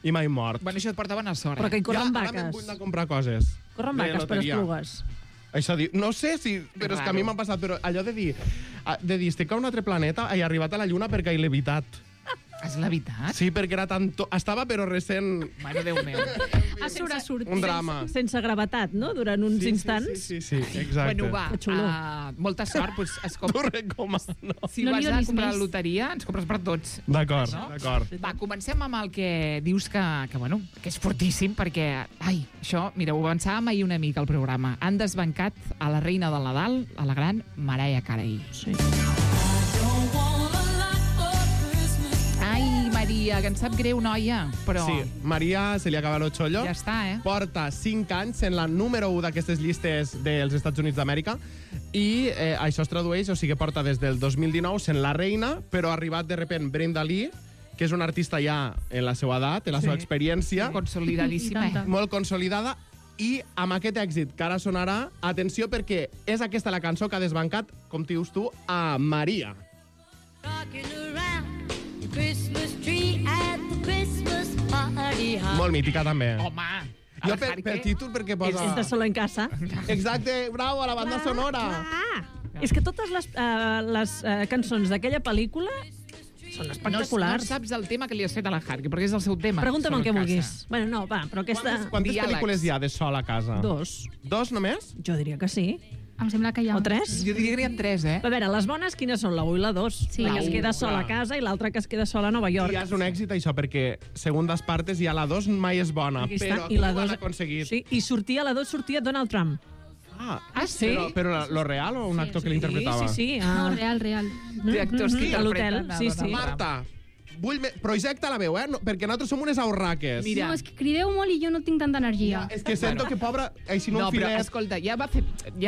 I m'he mort. Bueno, això et porta bona sort. Però que hi corren ara me'n vaques. vull anar a comprar coses. Corren De vaques per loteria. Esplugues. Això diu... No sé si... Però és que a mi m'ha passat, però allò de dir... estic a un altre planeta, he arribat a la Lluna perquè he levitat. És la veritat? Sí, perquè era tant... Estava, però recent... Mare Déu meu. A surt. Un drama. Sense gravetat, no? Durant uns instants. Sí, exacte. Bueno, va, Que xulo. molta sort. Pues, T'ho recomano. si No vas li a donis comprar més. la loteria, ens compres per tots. D'acord, No? d'acord. Va, comencem amb el que dius que bueno, que és fortíssim, perquè, ai, això, mira, ho avançàvem ahir una mica al programa. Han desbancat a la reina del Nadal, a la gran Mariah Carey. Sí. Ai, Maria, que em sap greu, noia, però Sí, Maria se li acaba el xollo. ja està, eh? Porta 5 anys en la número 1 d'aquestes llistes dels Estats Units d'Amèrica i això es tradueix, o sigui, porta des del 2019 sent la reina, però ha arribat de repent Brenda Lee, que és una artista ja en la seva edat, en la seva experiència, Consolidadíssima. I tanta. molt consolidada, i amb aquest èxit que ara sonarà, atenció, perquè és aquesta la cançó que ha desbancat, com dius tu, a Maria. Molt mítica, també. Home, Jo el per Harque- títol, perquè posa... És de Solo en Casa. Exacte, bravo, a la banda sonora. És que totes les cançons d'aquella pel·lícula són No espectaculars. saps el tema que li has fet a la Harque, perquè és el seu tema. Pregunta'm Solo el que en vulguis. casa. Bueno, no, va, però aquesta... Quantes Diàlegs. pel·lícules hi ha de sol a casa? 2. 2 només? Jo diria que sí. Em sembla que hi ha... O 3. Jo diria que n'hi ha 3, eh? A veure, les bones quines són? La 1 i la 2. Sí. La que es queda La sola a u, casa i l'altra que es queda sola a Nova York. I és un èxit, això, perquè segundes partes i a la 2 mai és bona, Aquí però està. aquí I la ho han 2... aconseguit. Sí, i sortia a la 2 sortia Donald Trump. Ah, sí? Però lo real o un actor que l'interpretava? Sí. No, real. Té actors que A l'hotel, interpreten a sí, Donald sí. Trump. Marta, projecta la veu, perquè nosaltres som unes aurraques. Mira. No, és que crideu molt i jo no tinc tanta energia. És que sento que, pobra, així no, No, un però, filet... escolta, ja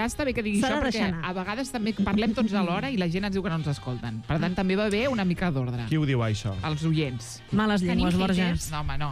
està bé que digui S'ha això, de perquè deixar anar. a vegades també parlem tots alhora i la gent ens diu que no ens escolten. Per tant, també va bé una mica d'ordre. Qui ho diu, això? Els oients. Males llengües, Tenim Borja. haters. No, home, no.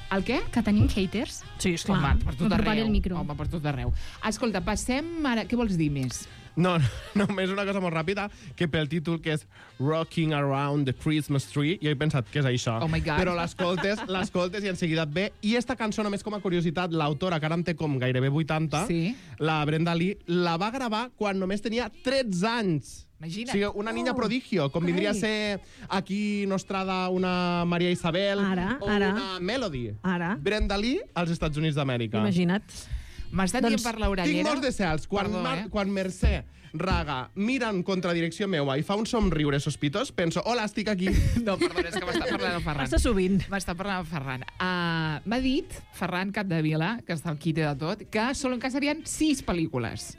El què? Que tenim haters? Sí, esclar. Home, per tot Apropar arreu. el micro. Home, per tot arreu. Escolta, passem ara... Què vols dir més? No, només una cosa molt ràpida, que pel títol, que és Rocking Around the Christmas Tree, jo he pensat que és això. Oh my God. Però l'escoltes i en seguida et ve. I esta cançó, només com a curiositat, l'autora, que ara en té com gairebé 80, Sí. la Brenda Lee, la va gravar quan només tenia 13 anys. Imagina't. O sigui, una niña prodigio, com vindria a ser aquí Nostrada una Maria Isabel Ara, o ara. una Melody. Ara. Brenda Lee als Estats Units d'Amèrica. Imagina't. M'ha estat Doncs dient per Tinc l'orellera... molts de cels. Quan, Perdó, quan Mercè Raga mira en contradirecció meua i fa un somriure sospitós, penso, hola, estic aquí. No, perdona, és que m'està parlant el Ferran. Passa sovint. M'està parlant el Ferran. M'ha dit, Ferran Capdevila, que està al quite de tot, que solen que serien 6 pel·lícules.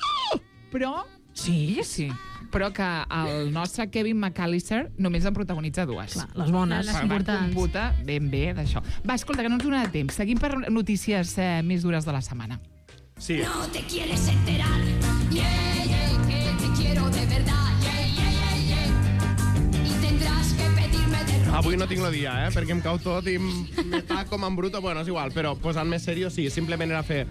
Però... Sí? Sí. Però que el nostre Kevin McAllister només en protagonitza 2. Clar, les bones. Les Va importants. computa ben bé d'això. Va, escolta, que no ens donarà temps. Seguim per notícies més dures de la setmana. Sí. No te quieres enterar, yeah, yeah, que te quiero de verdad, yeah, yeah, yeah, yeah. Y tendrás que pedirme de rodillas. Avui no tinc el dia, perquè em cau tot i me taco com en bruto. Bueno, és igual, però posant més seriós, sí, simplement era fer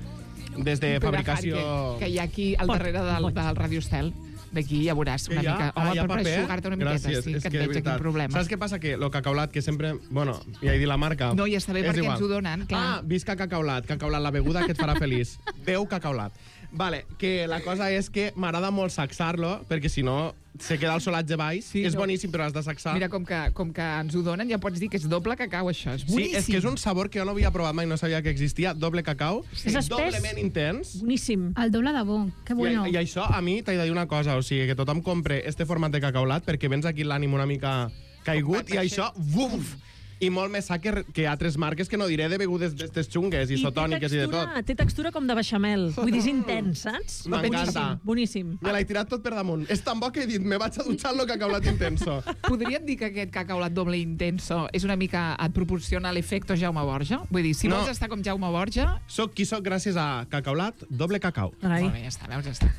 des de fabricació... Que hi ha aquí al darrere del Radio Estel. D'aquí ja veuràs una Que hi ha? mica. Ah, hi ha per paper? aixugar-te una miqueta, Gràcies, sí, és que et de veig aquí veritat. problemes. Saps què passa? Que lo cacaulat, que sempre... Bueno, ja he dit la marca. No, ja està bé És perquè igual. ens ho donen, clar. Ah, visca cacaulat, la beguda que et farà feliç. Beu cacaulat. Vale, que la cosa és que m'agrada molt sacsar-lo, perquè si no se queda el solatge baix. Sí, és no. boníssim, però has de sacsar. Mira, com que ens ho donen, ja pots dir que és doble cacau, això. És Sí, boníssim. és que és un sabor que jo no havia provat mai, no sabia que existia. Doble cacau, És espès. doblement intens. Boníssim. El doble de bo. Que bueno. I això, a mi, t'he de dir una cosa, o sigui, que tothom compre este format de cacaulat perquè vens aquí l'ànim una mica caigut i això, buf! I molt més sa que altres marques que no diré de begudes d'estes xungues, isotòniques i de tot. Té textura com de beixamel. Vull dir, és intens, saps? M'encanta. Boníssim. Me l'he tirat tot per damunt. És tan bo que he dit, me vaig a dutxar amb el cacaulat intenso. Podríem dir que aquest cacaulat doble intenso és una mica... et proporciona l'efecte Jaume Borja? Vull dir, si No. vols estar com Jaume Borja... Soc qui soc gràcies a cacaulat, doble cacau. Carai. Molt bé, ja està, veus, ja està.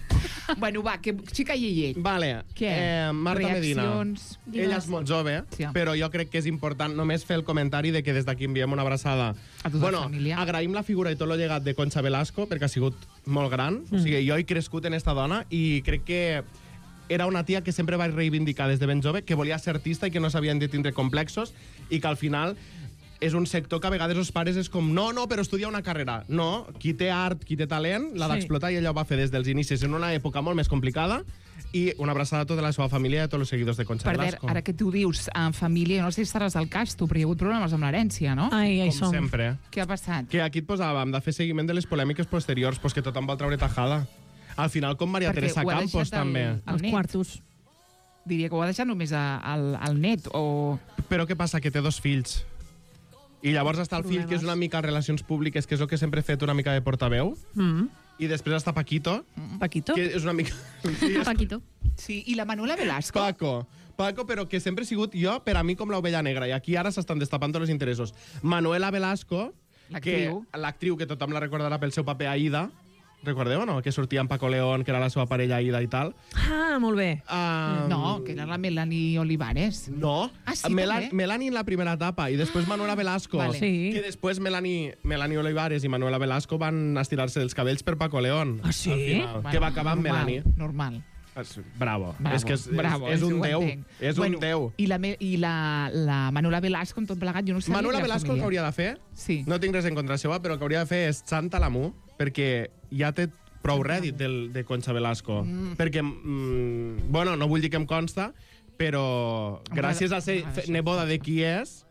Bueno, va, que xica Yeye. Vale, Què? Marta Medina. Reaccions? Ella és molt jove, Sí. però jo crec que és important només fer el comentari de que des d'aquí enviem una abraçada. A tota la família. Agraïm la figura i tot el llegat de Concha Velasco, perquè ha sigut molt gran. O sigui, jo he crescut en esta dona i crec que era una tia que sempre vaig reivindicar des de ben jove, que volia ser artista i que no s'havien de tindre complexos i que al final és un sector que a vegades els pares és com no, però estudia una carrera. No, qui té art, qui té talent, l'ha Sí. d'explotar i ella ho va fer des dels inicis en una època molt més complicada. I una abraçada a tota la seva família i a tots els seguidors de Concha Per Velasco. ara que tu dius en família, no sé si estaràs al cas, tu, però hi ha hagut problemes amb l'herència, no? Ai, ai, Com som. sempre. Què ha passat? Que aquí et posàvem de fer seguiment de les polèmiques posteriors, pues que tothom vol treure tajada. Al final, com Maria Perquè Teresa ho ha Campos, deixat també. el Els net. quartos. Diria que ho ha deixat només al net, o... Però què passa? Que té 2 fills. I llavors està el fill, que és una mica relacions públiques, que és el que sempre he fet una mica de portaveu. I després està Paquito, Paquito? que és una mica... Sí, és Paquito. Sí, i la Manuela Velasco? Paco, però que sempre he sigut jo, per a mi, com l'ovella negra. I aquí ara s'estan destapant tots els interessos. Manuela Velasco, L'actriu. l'actriu que tothom la recordarà pel seu paper a Aida. Recordeu o no? Que sortia amb Paco León, que era la seva parella Aida i tal. Ah, molt bé. No, que era la Melanie Olivares. No, Ah, sí, també? Melanie en la primera etapa i després Manuela Velasco. Vale. Sí. Que després Melanie Olivares i Manuela Velasco van estirar-se dels cabells per Paco León. Ah, sí? Al final, que va acabar amb normal, Melanie. Normal. Bravo. Bravo, És que és això un ho déu. entenc. És un déu. I la Manuela Velasco, amb tot plegat, jo no sé... Manuela Velasco el que hauria de fer, Sí. no tinc res en contra seva, però el que hauria de fer és Santa l'Amú, perquè ja té prou rèdit de Concha Velasco. Perquè, bueno, no vull dir que em consta, però gràcies a ser neboda de qui és,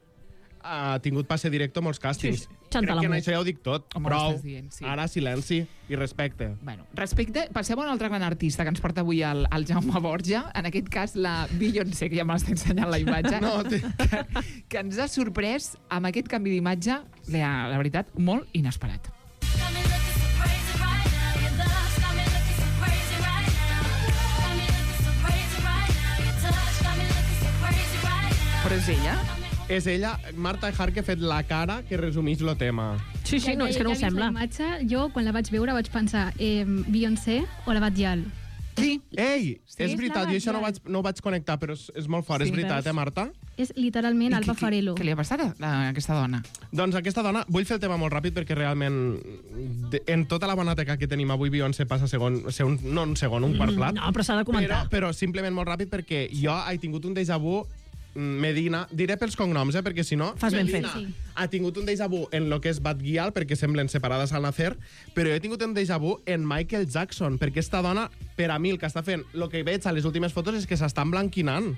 ha tingut passe directe a molts càstings. Sí, Santa Crec que en l'Amú. això ja ho dic tot. Home, ho Prou. estàs dient, sí. Ara silenci i respecte. Bueno, respecte, passem a un altre gran artista que ens porta avui el Jaume Borja, en aquest cas la Beyoncé, que ja m'està ensenyant la imatge, No, que ens ha sorprès amb aquest canvi d'imatge, la veritat, molt inesperat. Got me looking so crazy right now. Your love's got me looking so crazy right now. Got me looking so crazy right now. Your touch got me looking so crazy right now. Però és ella? És ella, Marta Hart, que ha fet la cara que resumeix el tema. Sí, no, és que no ho Ja he vist sembla. la imatge, jo, quan la vaig veure, vaig pensar Beyoncé o la Batjal. Sí. Ei, Sí, és és veritat, la jo això Badial. no ho vaig connectar, però és molt fort, Sí, és veritat, veus? Marta? És literalment Alba Farelo. Què li ha passat a aquesta dona? Doncs aquesta dona, vull fer el tema molt ràpid perquè realment en tota la bonateca que tenim avui Beyoncé passa un quart plat. No, però s'ha de comentar. Però simplement molt ràpid perquè jo he tingut un déjà vu. Medina, diré pels cognoms, perquè si no... Fas ben Medina fet. Sí. ha tingut un déjà vu en lo que és Bad Gyal, perquè semblen separades al nacer, però jo he tingut un déjà vu en Michael Jackson, perquè esta dona, per a mi, el que està fent, el que veig a les últimes fotos és que s'està emblanquinant.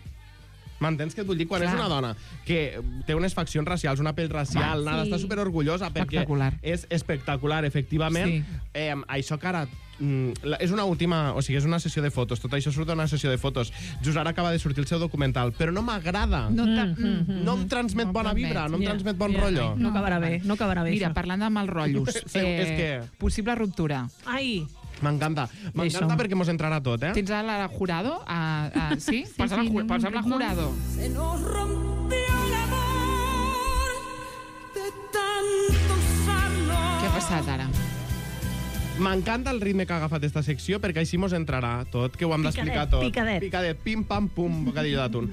M'entens què et vull dir? Quan Clar. és una dona que té unes faccions racials, una pell racial, nada, sí. està superorgullosa perquè Espectacular. és espectacular, efectivament. Sí. Això que ara és una última, o sigui, és una sessió de fotos, tot això surt d'una sessió de fotos. Just ara acaba de sortir el seu documental, però no m'agrada. No, No em transmet No bona vibra, no em Ja, transmet bon ja. rotllo. No acabarà bé, no acabarà bé, Mira, això. parlant de mal rotllos, És que- possible ruptura. Ai, M'encanta. M'encanta Això. perquè mos entrarà tot, eh? Tens a la Jurado? Sí? Posa'm sí, la ritme. Jurado. Se nos rompió el amor de tanto usarlo. Què ha passat ara? M'encanta el ritme que ha agafat esta secció perquè així mos entrarà tot, que ho hem d'explicar tot. Picadet. Picadet, pim, pam, pum, bocadillo d'atún.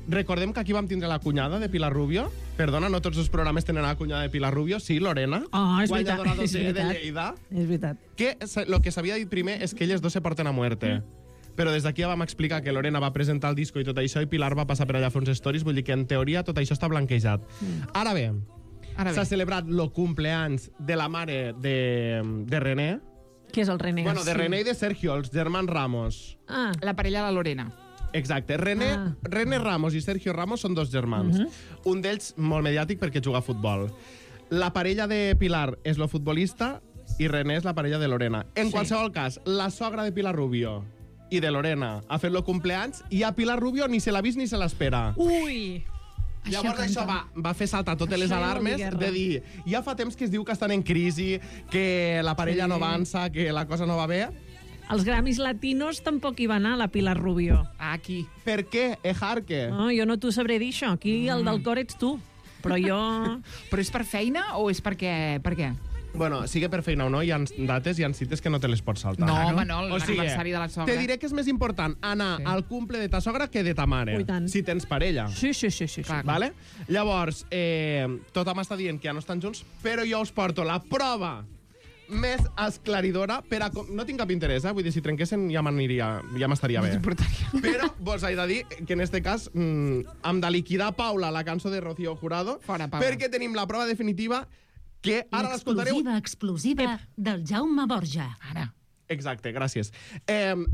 Recordem que aquí vam tindre la cunyada de Pilar Rubio. Perdona, no tots els programes tenen la cunyada de Pilar Rubio. Sí, Lorena. Oh, és veritat, guanyadora és de veritat. Lleida. és veritat. Que lo que s'havia dit primer és que elles dos se porten a muerte. Però des d'aquí ja vam explicar que Lorena va presentar el disco i tot això, i Pilar va passar per allà a fer uns stories, vull dir que en teoria tot això està blanquejat. Ara bé, Ara s'ha bé. celebrat el cumpleaños de la mare de René. Què és el René? Bueno, de René i de Sergio, els germans Ramos. Ah, La parella de la Lorena. Exacte. René Ramos i Sergio Ramos són dos germans. Un d'ells molt mediàtic perquè juga a futbol. La parella de Pilar és la futbolista i René és la parella de Lorena. En qualsevol cas, la sogra de Pilar Rubio i de Lorena ha fet el cumpleaños i a Pilar Rubio ni se l'ha vist ni se l'espera. ui! Llavors això va fer saltar totes les Això ja vol dir alarmes guerra. de dir, ja fa temps que es diu que estan en crisi, que la parella no avança, que la cosa no va bé. Els Grammys latinos tampoc hi va anar, la Pilar Rubio. Aquí. Per què, Ejarque? No, jo no t'ho sabré dir, això. Aquí el del cor ets tu. Però jo... Però és per feina o és perquè... Per què? Bueno, sigui per feina o no, hi ha dates, hi ha cites que no te les pots saltar. No, home, no, O sigui, l'aniversari de la sogra. te diré que és més important anar al cumple de ta sogra que de ta mare. Ui, tant. Si tens parella. Sí, sí, sí. sí. Clar. Vale? Llavors, tothom està dient que ja no estan junts, però jo us porto la prova més esclaridora per a... No tinc cap interès, vull dir, si trenquessin ja m'estaria bé. Però vos he de dir que en este cas hem de liquidar Paula, la cançó de Rocío Jurado, Fora, Paula. perquè tenim la prova definitiva que ara l'escoltareu... Explosiva del Jaume Borja. Ara. Exacte, gràcies.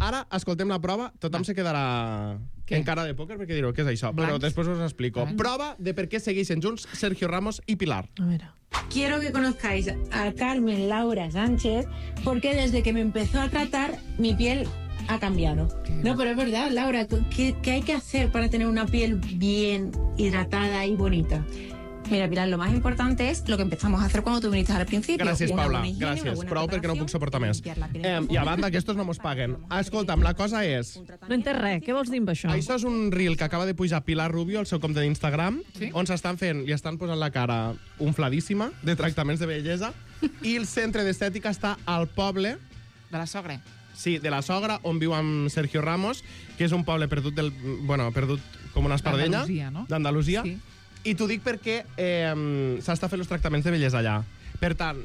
Ara escoltem la prova, tothom se quedarà Què? en cara de pòquer perquè direu què és això, però Blancs. després us explico. Blancs. Prova de per què segueixen junts Sergio Ramos i Pilar. A veure... Quiero que conozcáis a Carmen Laura Sánchez porque desde que me empezó a tratar mi piel ha cambiado. No, pero es verdad, Laura, ¿qué hay que hacer para tener una piel bien hidratada y bonita? Mira, Pilar, lo más importante es lo que empezamos a hacer cuando tú viniste al principio. Gràcies, Una Paula, buena higiene, una gràcies. buena Prou perquè no puc preparación, suportar més. limpiar la piel. I a banda, que estos no mos paguen. Escolta'm, la cosa és... No entès res. Què vols dir amb això? Això és un reel que acaba de pujar Pilar Rubio al seu compte d'Instagram, Sí? on s'estan fent, li estan posant la cara unfladíssima de tractaments de bellesa, i el centre d'estètica està al poble, De la sogra. sí, de la sogra, on viu amb Sergio Ramos, que és un poble perdut perdut com una espardenya. D'Andalusia, no? D'Andalusia. Sí. I t'ho dic perquè s'està fent els tractaments de bellesa allà. Per tant,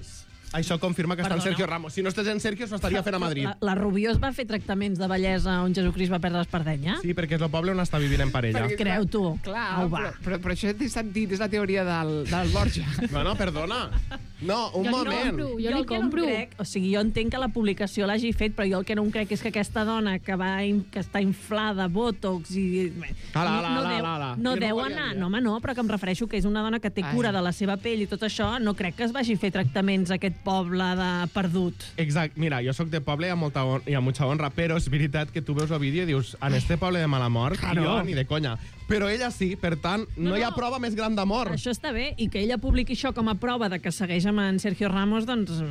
això confirma que està en Perdona. Sergio Ramos. Si no estàs en Sergio, s'ho estaria fent a Madrid. La Rubio es va fer tractaments de bellesa on Jesucrist va perdre l'espardenya? Sí, perquè és el poble on està vivint en parella. Perquè- Creu tu? Clar, Au, va. però això té sentit, és la teoria del Borja. Bueno, perdona. No, un Jo li moment. compro. Jo el li que no compro. em crec, o sigui, jo entenc que la publicació l'hagi fet, però jo el que no em crec és que aquesta dona que està inflada, botox i... no Jo deu no volia anar... dir, No, home, no, però que em refereixo que és una dona que té Ai. cura de la seva pell i tot això, no crec que es vagi a fer tractaments a aquest poble de perdut. Exacte. Mira, jo sóc de poble i hi ha mucha honra, però és veritat que tu veus el vídeo i dius, en este poble de mala mort, Claro. jo ni de conya. però ella sí. Per tant, no hi ha prova més gran d'amor. Això està bé, i que ella publiqui això com a prova de que segueix amb en Sergio Ramos, doncs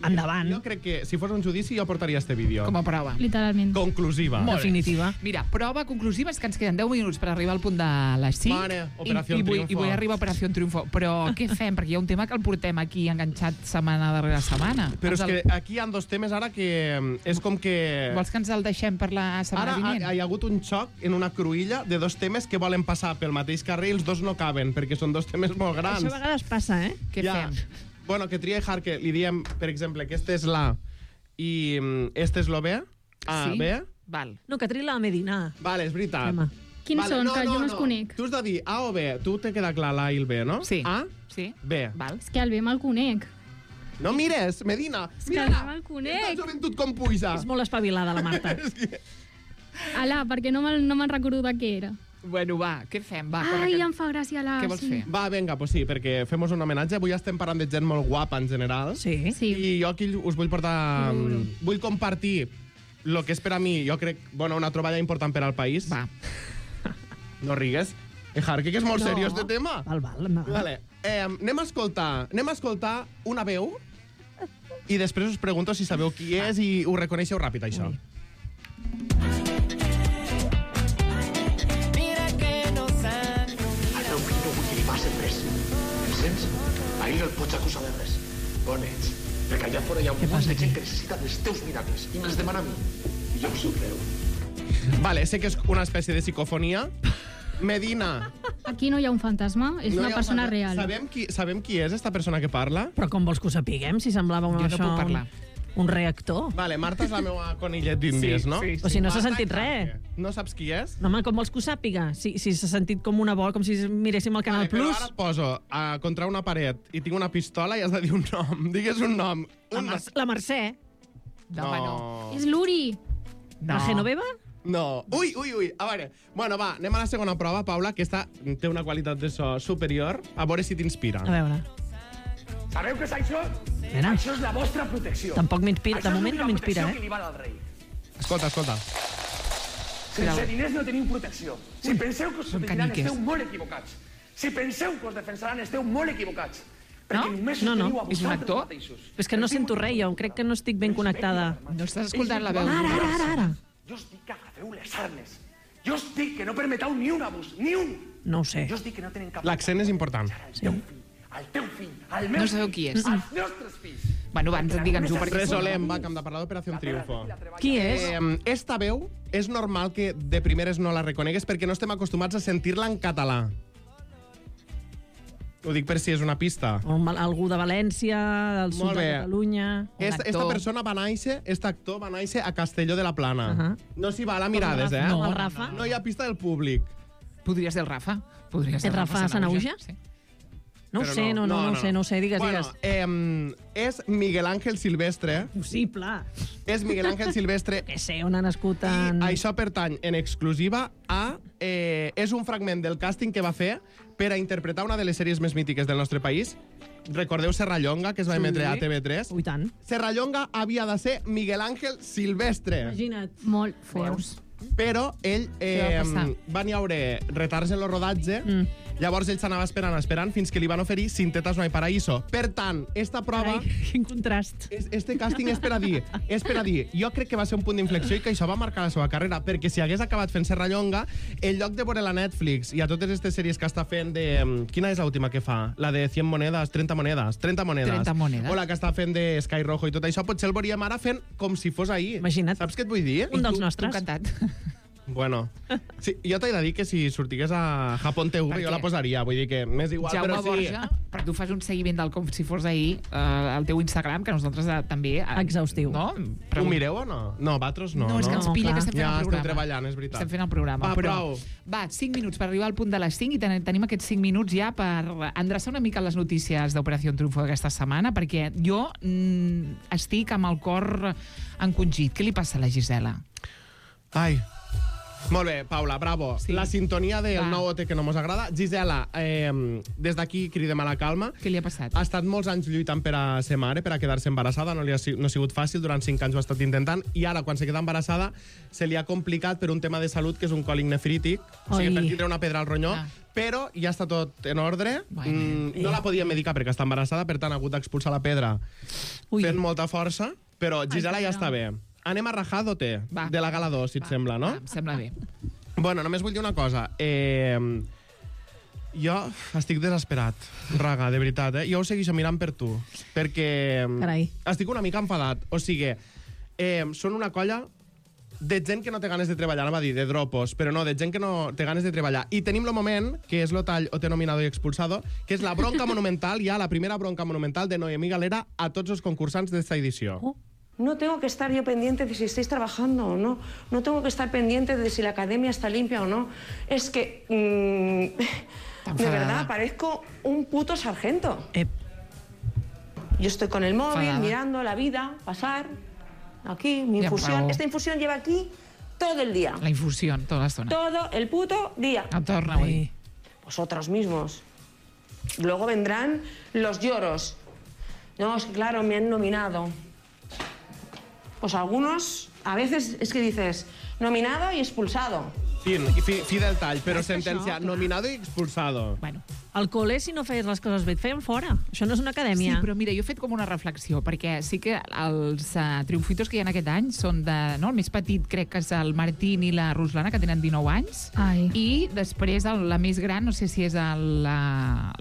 endavant. Jo crec que si fos un judici jo portaria este vídeo. Com a prova. Literalment. Conclusiva. Molt bé. Definitiva. Mira, prova conclusiva és que ens queden 10 minuts per arribar al punt de les 5. Mare, Operació I Triunfo. vull arribar a Operació Triunfo. Però què fem? Perquè hi ha un tema que el portem aquí enganxat setmana darrere setmana. Però és que aquí hi ha dos temes ara que és com que... Vols que ens el deixem per la setmana vinent? Ara hi ha hagut un xoc en una cruïlla de dos temes que volen passar pel mateix carrer i els dos no caben, perquè són dos temes molt grans. Això a vegades passa, eh? Què fem? Bueno, que tria que li diem, per exemple, que este és l'A i este és lo B. A, Sí? B. Val. No, que triï la Medina. Vale, és veritat. Home. Quins són? Que jo no els conec. Tu has de dir A o B. Tu te queda clar l'A i el B, no? Sí. A, Sí. B. Val. És que el bé me'l conec. No mires, Medina. És que el bé me'l Esta conec. joventut com puja. És molt espavilada, la Marta. Ala, perquè no me'n recordo de què era. Bueno, va, què fem? Va, corre, Ai, que- em fa gràcia la... Què vols fer? Va, vinga, pues sí, perquè fem un homenatge. Avui estem parlant de gent molt guapa, en general. Sí. Sí. I jo aquí us vull portar... Vull compartir el que és per a mi, jo crec, bueno, una troballa important per al país. Va. No rigues. Jarque, que és molt seriós de tema. Val, no. Vale. Anem a escoltar una veu i després us pregunto si sabeu qui és i ho reconeixeu ràpid, això. El meu fill no vull que li passi res. Em sents? Ahir el pots acusar de res. On ets? Perquè allà fora hi ha un munt de gent que necessita dels teus miracles i me'ls demana a mi. I jo em somreu. Vale, sé que és una espècie de psicofonia. Medina. Aquí no hi ha un fantasma, és no una hi ha persona un- real. Sabem qui és esta persona que parla? Però com vols que ho sapiguem, si semblava Jo no puc parlar. un reactor? Vale, Marta és la meva conillet d'índies, no? O si no s'ha Marta sentit Jarque. res. No saps qui és? No, home, com vols que ho sàpiga? Si s'ha sentit com una bola, com si miréssim el Canal Vale, però Plus. ara et poso contra una paret i tinc una pistola i has de dir un nom. Digues un nom. La Mercè. No. És l'Uri. La Genoveva? No. Ui. A veure, bueno, va, anem a la segona prova, Paula, que esta té una qualitat de so superior. A veure si t'inspira. A veure. Sabeu què és això? Mira. Això és la vostra protecció. Tampoc m'inspira. De Això és moment no l'única m'inspira, protecció que eh? li val al rei. Escolta. Sense diners no teniu protecció. Si penseu que us són protegiran, caniques. esteu molt equivocats. Si penseu que us defensaran, esteu molt equivocats. Perquè només No, us no. teniu a És un vosaltres actor? mateixos. És que no sento res, jo. Crec que no estic ben connectada. No estàs escoltant la veu. Ara. Jo us dic que agafeu les armes. Jo us dic que no permeteu ni un abús, ni un. No ho sé. Jo us dic que no tenen cap... L'accent és important. Al teu fill, al meu No sabeu qui és. als nostres fills. Bueno, abans digue'ns-ho perquè... Resolem, va, que hem de parlar d'Operació Triunfo. Qui és? Esta veu és normal que de primeres no la reconegues perquè no estem acostumats a sentir-la en català. Ho dic per si és una pista. Algú de València, del sud Molt de bé. Catalunya... Esta persona va néixer, aquest actor va néixer a Castelló de la Plana. No s'hi val a mirades, eh? No. El Rafa? No hi ha pista del públic. Podria ser el Rafa. Podria ser El Rafa Sanahuja? Sí. No ho Però sé, no ho sé. Digues. És Miguel Ángel Silvestre. Possible. És Miguel Ángel Silvestre. Que sé, on ha nascut en... I això pertany en exclusiva a... és un fragment del càsting que va fer per a interpretar una de les sèries més mítiques del nostre país. Recordeu Serrallonga, que es va emetre a TV3? Ui, tant. Serrallonga havia de ser Miguel Ángel Silvestre. Imagina't. Molt feus. Però ell va passar? van hi haure retards en el rodatge, llavors ell s'anava esperant fins que li van oferir Sin tetas no hay paraíso. Per tant, esta prova... Carai, quin contrast. Este càsting és per a dir, jo crec que va ser un punt d'inflexió i que això va marcar la seva carrera, perquè si hagués acabat fent Serrallonga, en lloc de veure la Netflix i a totes aquestes sèries que està fent de... Quina és l'última que fa? La de 100 monedes, 30 monedes. 30 monedes. O la que està fent de Sky Rojo i tot això, potser el veuríem ara fent com si fos ahir. Imagina't. Saps què et vull dir? Un dels nostres. Tu encantat. Bueno, sí, jo t'he de dir que si sortigués a Japón TV Per jo què? la posaria, vull dir que m'és igual, Jaume però sí. Borja, però tu fas un seguiment del com si fos ahir al teu Instagram, que nosaltres també... Exhaustiu. No? Ho mireu o no? No, vosaltres no. No, és que ens pilla que estem fent ja el programa. estem treballant, és veritat. Estem fent el programa. Va, però, prou. va, 5 minuts per arribar al punt de les 5 i tenim aquests 5 minuts ja per endreçar una mica les notícies d'Operació Triunfo d'aquesta setmana, perquè jo estic amb el cor encongit. Què li passa a la Gisela? Ai, Molt bé, Paula, bravo. Sí. La sintonia del nou OT que no mos agrada. Gisela, des d'aquí cridem a la calma. Què li ha passat? Ha estat molts anys lluitant per a ser mare, per a quedar-se embarassada. No ha sigut fàcil, durant 5 anys ho ha estat intentant. I ara, quan se queda embarassada, se li ha complicat per un tema de salut, que és un còlic nefrític. O sigui, per tindre una pedra al ronyó. Però ja està tot en ordre. No la podia medicar perquè està embarassada, per tant ha hagut d'expulsar la pedra fent molta força. Però Gisela ja està bé. Anem a rajar d'OT, de la gala 2, si et sembla, no? Em sembla bé. Bueno, només vull dir una cosa. Jo estic desesperat, Raga, de veritat, Jo ho segueixo mirant per tu, perquè estic una mica enfadat. O sigui, són una colla de gent que no té ganes de treballar, anava a dir, de dropos, però no, de gent que no té ganes de treballar. I tenim el moment, que és l'Otall OT nominado i expulsado, que és la bronca monumental, ja la primera bronca monumental de Noemí Galera a tots els concursants d'esta edició. No tengo que estar yo pendiente de si estáis trabajando o no. No tengo que estar pendiente de si la academia está limpia o no. Es que, de verdad, parezco un puto sargento. Yo estoy con el móvil, mirando la vida pasar. Aquí, mi infusión. Esta infusión lleva aquí todo el día. La infusión, toda la zona. Todo el puto día. Vosotros mismos. Luego vendrán los lloros. No, es que claro, me han nominado. Pues algunos, a veces es que dices, nominado y expulsado. Fi del tall, però sentència nominado i expulsado. Bueno, al col·le, si no feies les coses bé, et feien fora. Això no és una acadèmia. Sí, però mira, jo he fet com una reflexió, perquè sí que els triomfitos que hi ha aquest any són de... No, el més petit crec que és el Martín i la Ruslana, que tenen 19 anys. I després la més gran, no sé si és la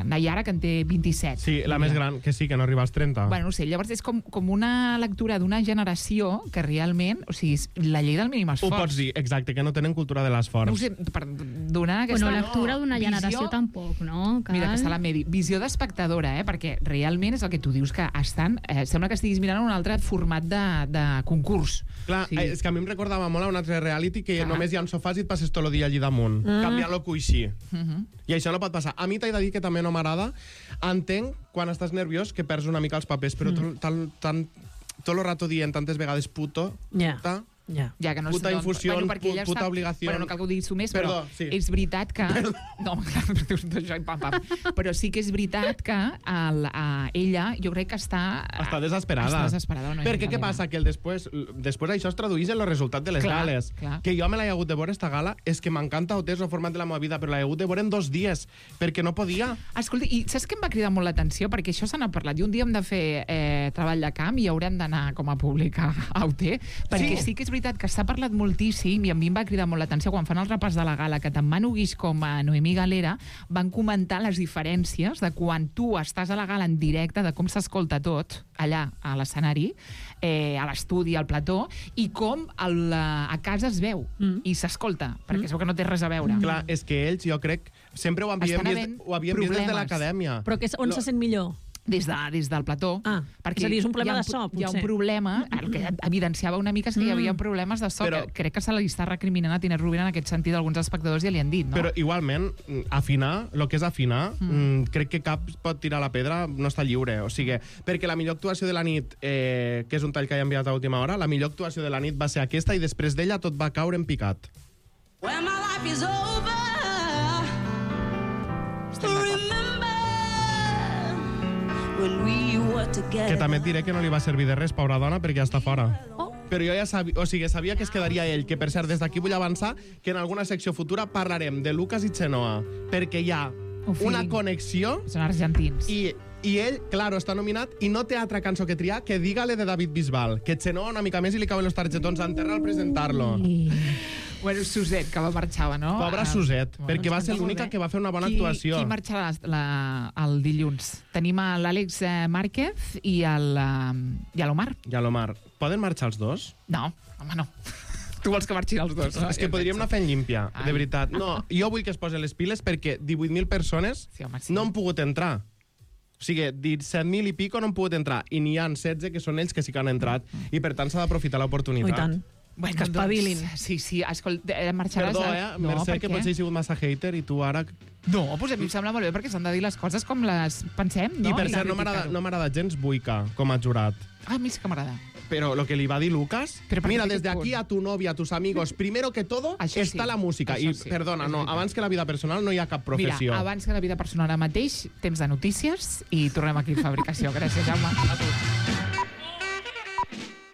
Nayara, que en té 27. Sí, la més gran, que sí, que no arriba als 30. Bueno, no sé, llavors és com una lectura d'una generació que realment, o sigui, la llei del mínim esforç. Ho pots dir, exacte, que no tenen cultura de l'esforç. No ho sé, per donar aquesta... Bueno, lectura d'una generació tampoc, no? Mira, que està la Medi. Visió d'espectadora, perquè realment és el que tu dius, que estan... sembla que estiguis mirant un altre format de concurs. Clar, és que a mi em recordava molt a un altre reality que només hi ha un sofàs i et passes tot el dia allí damunt. Canviar-lo coixí. I això no pot passar. A mi t'he de dir que també no m'agrada. Entenc, quan estàs nerviós, que perds una mica els papers, però tot el rato dient tantes vegades puto, puta... Ja, que no puta infusió, puta obligació. Bueno, no cal que ho diguis tu més, però és veritat que... No, clar, això, però sí que és veritat que ella, jo crec que està... Està desesperada. Perquè què passa? Que després això es traduís en el resultat de les gales. Que jo me l'he hagut de veure, esta gala, és que m'encanta OT, és el format de la meva vida, però l'he hagut de veure en 2 dies, perquè no podia. Escolta, i saps què em va cridar molt l'atenció? Perquè això se n'ha parlat, i un dia hem de fer treball de camp i haurem d'anar com a públic a OT, perquè sí que és veritat que s'ha parlat moltíssim i a mi em va cridar molt l'atenció quan fan el repàs de la gala que tant Manu Guix com a Noemí Galera van comentar les diferències de quan tu estàs a la gala en directe, de com s'escolta tot allà a l'escenari, a l'estudi, al plató, i com a casa es veu i s'escolta, perquè es veu que no té res a veure. Clar, és que ells, jo crec, sempre ho havien vist des de l'acadèmia. Però on se sent millor? Des del plató. És a dir, és un problema de so, potser. Hi ha un problema, el que evidenciava una mica és que hi havia problemes de so, que crec que se li està recriminant a Tiner Rubin en aquest sentit, alguns espectadors ja li han dit, no? Però igualment, afinar, el que és afinar, crec que cap pot tirar la pedra, no està lliure. O sigui, perquè la millor actuació de la nit, que és un tall que he enviat a última hora, la millor actuació de la nit va ser aquesta i després d'ella tot va caure en picat. When my life is over, que també et diré que no li va servir de res, pobra dona, perquè ja està fora. Però jo ja sabia que es quedaria ell, que per cert, des d'aquí vull avançar que en alguna secció futura parlarem de Lucas i Chenoa, perquè hi ha una connexió... Són argentins. I ell, claro, està nominat i no té altra cançó que triar que Dígale de David Bisbal, que Chenoa una mica més i li cauen els targetons a enterrar al presentar-lo. Bueno, Suset, que va marxar, no? Pobra Suset, perquè va ser l'única que va fer una bona actuació. Qui marxarà el dilluns? Tenim l'Àlex Márquez i l'Omar. I l'Omar. Poden marxar els dos? No, home, no. Tu vols que marxin els dos, no? És que podríem anar fent límpia, de veritat. No, jo vull que es posen les piles perquè 18.000 persones no han pogut entrar. O sigui, 17.000 i pico no han pogut entrar i n'hi ha 16 que són ells que sí que han entrat i per tant s'ha d'aprofitar l'oportunitat. I tant. Bueno, que espavilin. Sí, escolta, marxaràs... Perdó, Mercè, que potser he sigut massa hater i tu ara... No, doncs a mi em sembla molt bé perquè s'han de dir les coses com les pensem, no? I per cert, no m'agrada gens Buica com a jurat. A mi sí que m'agrada. Pero lo que le iba a decir Lucas, Pero mira, parece desde que aquí a tu novia, a tus amigos, primero que todo Això está sí, la música. això I, sí, perdona, és no, veritat. abans que la vida personal no hi ha cap professió. Mira, abans que la vida personal ara mateix, temps de notícies i tornem aquí a Fabricació. Gràcies, Jaume. A tu.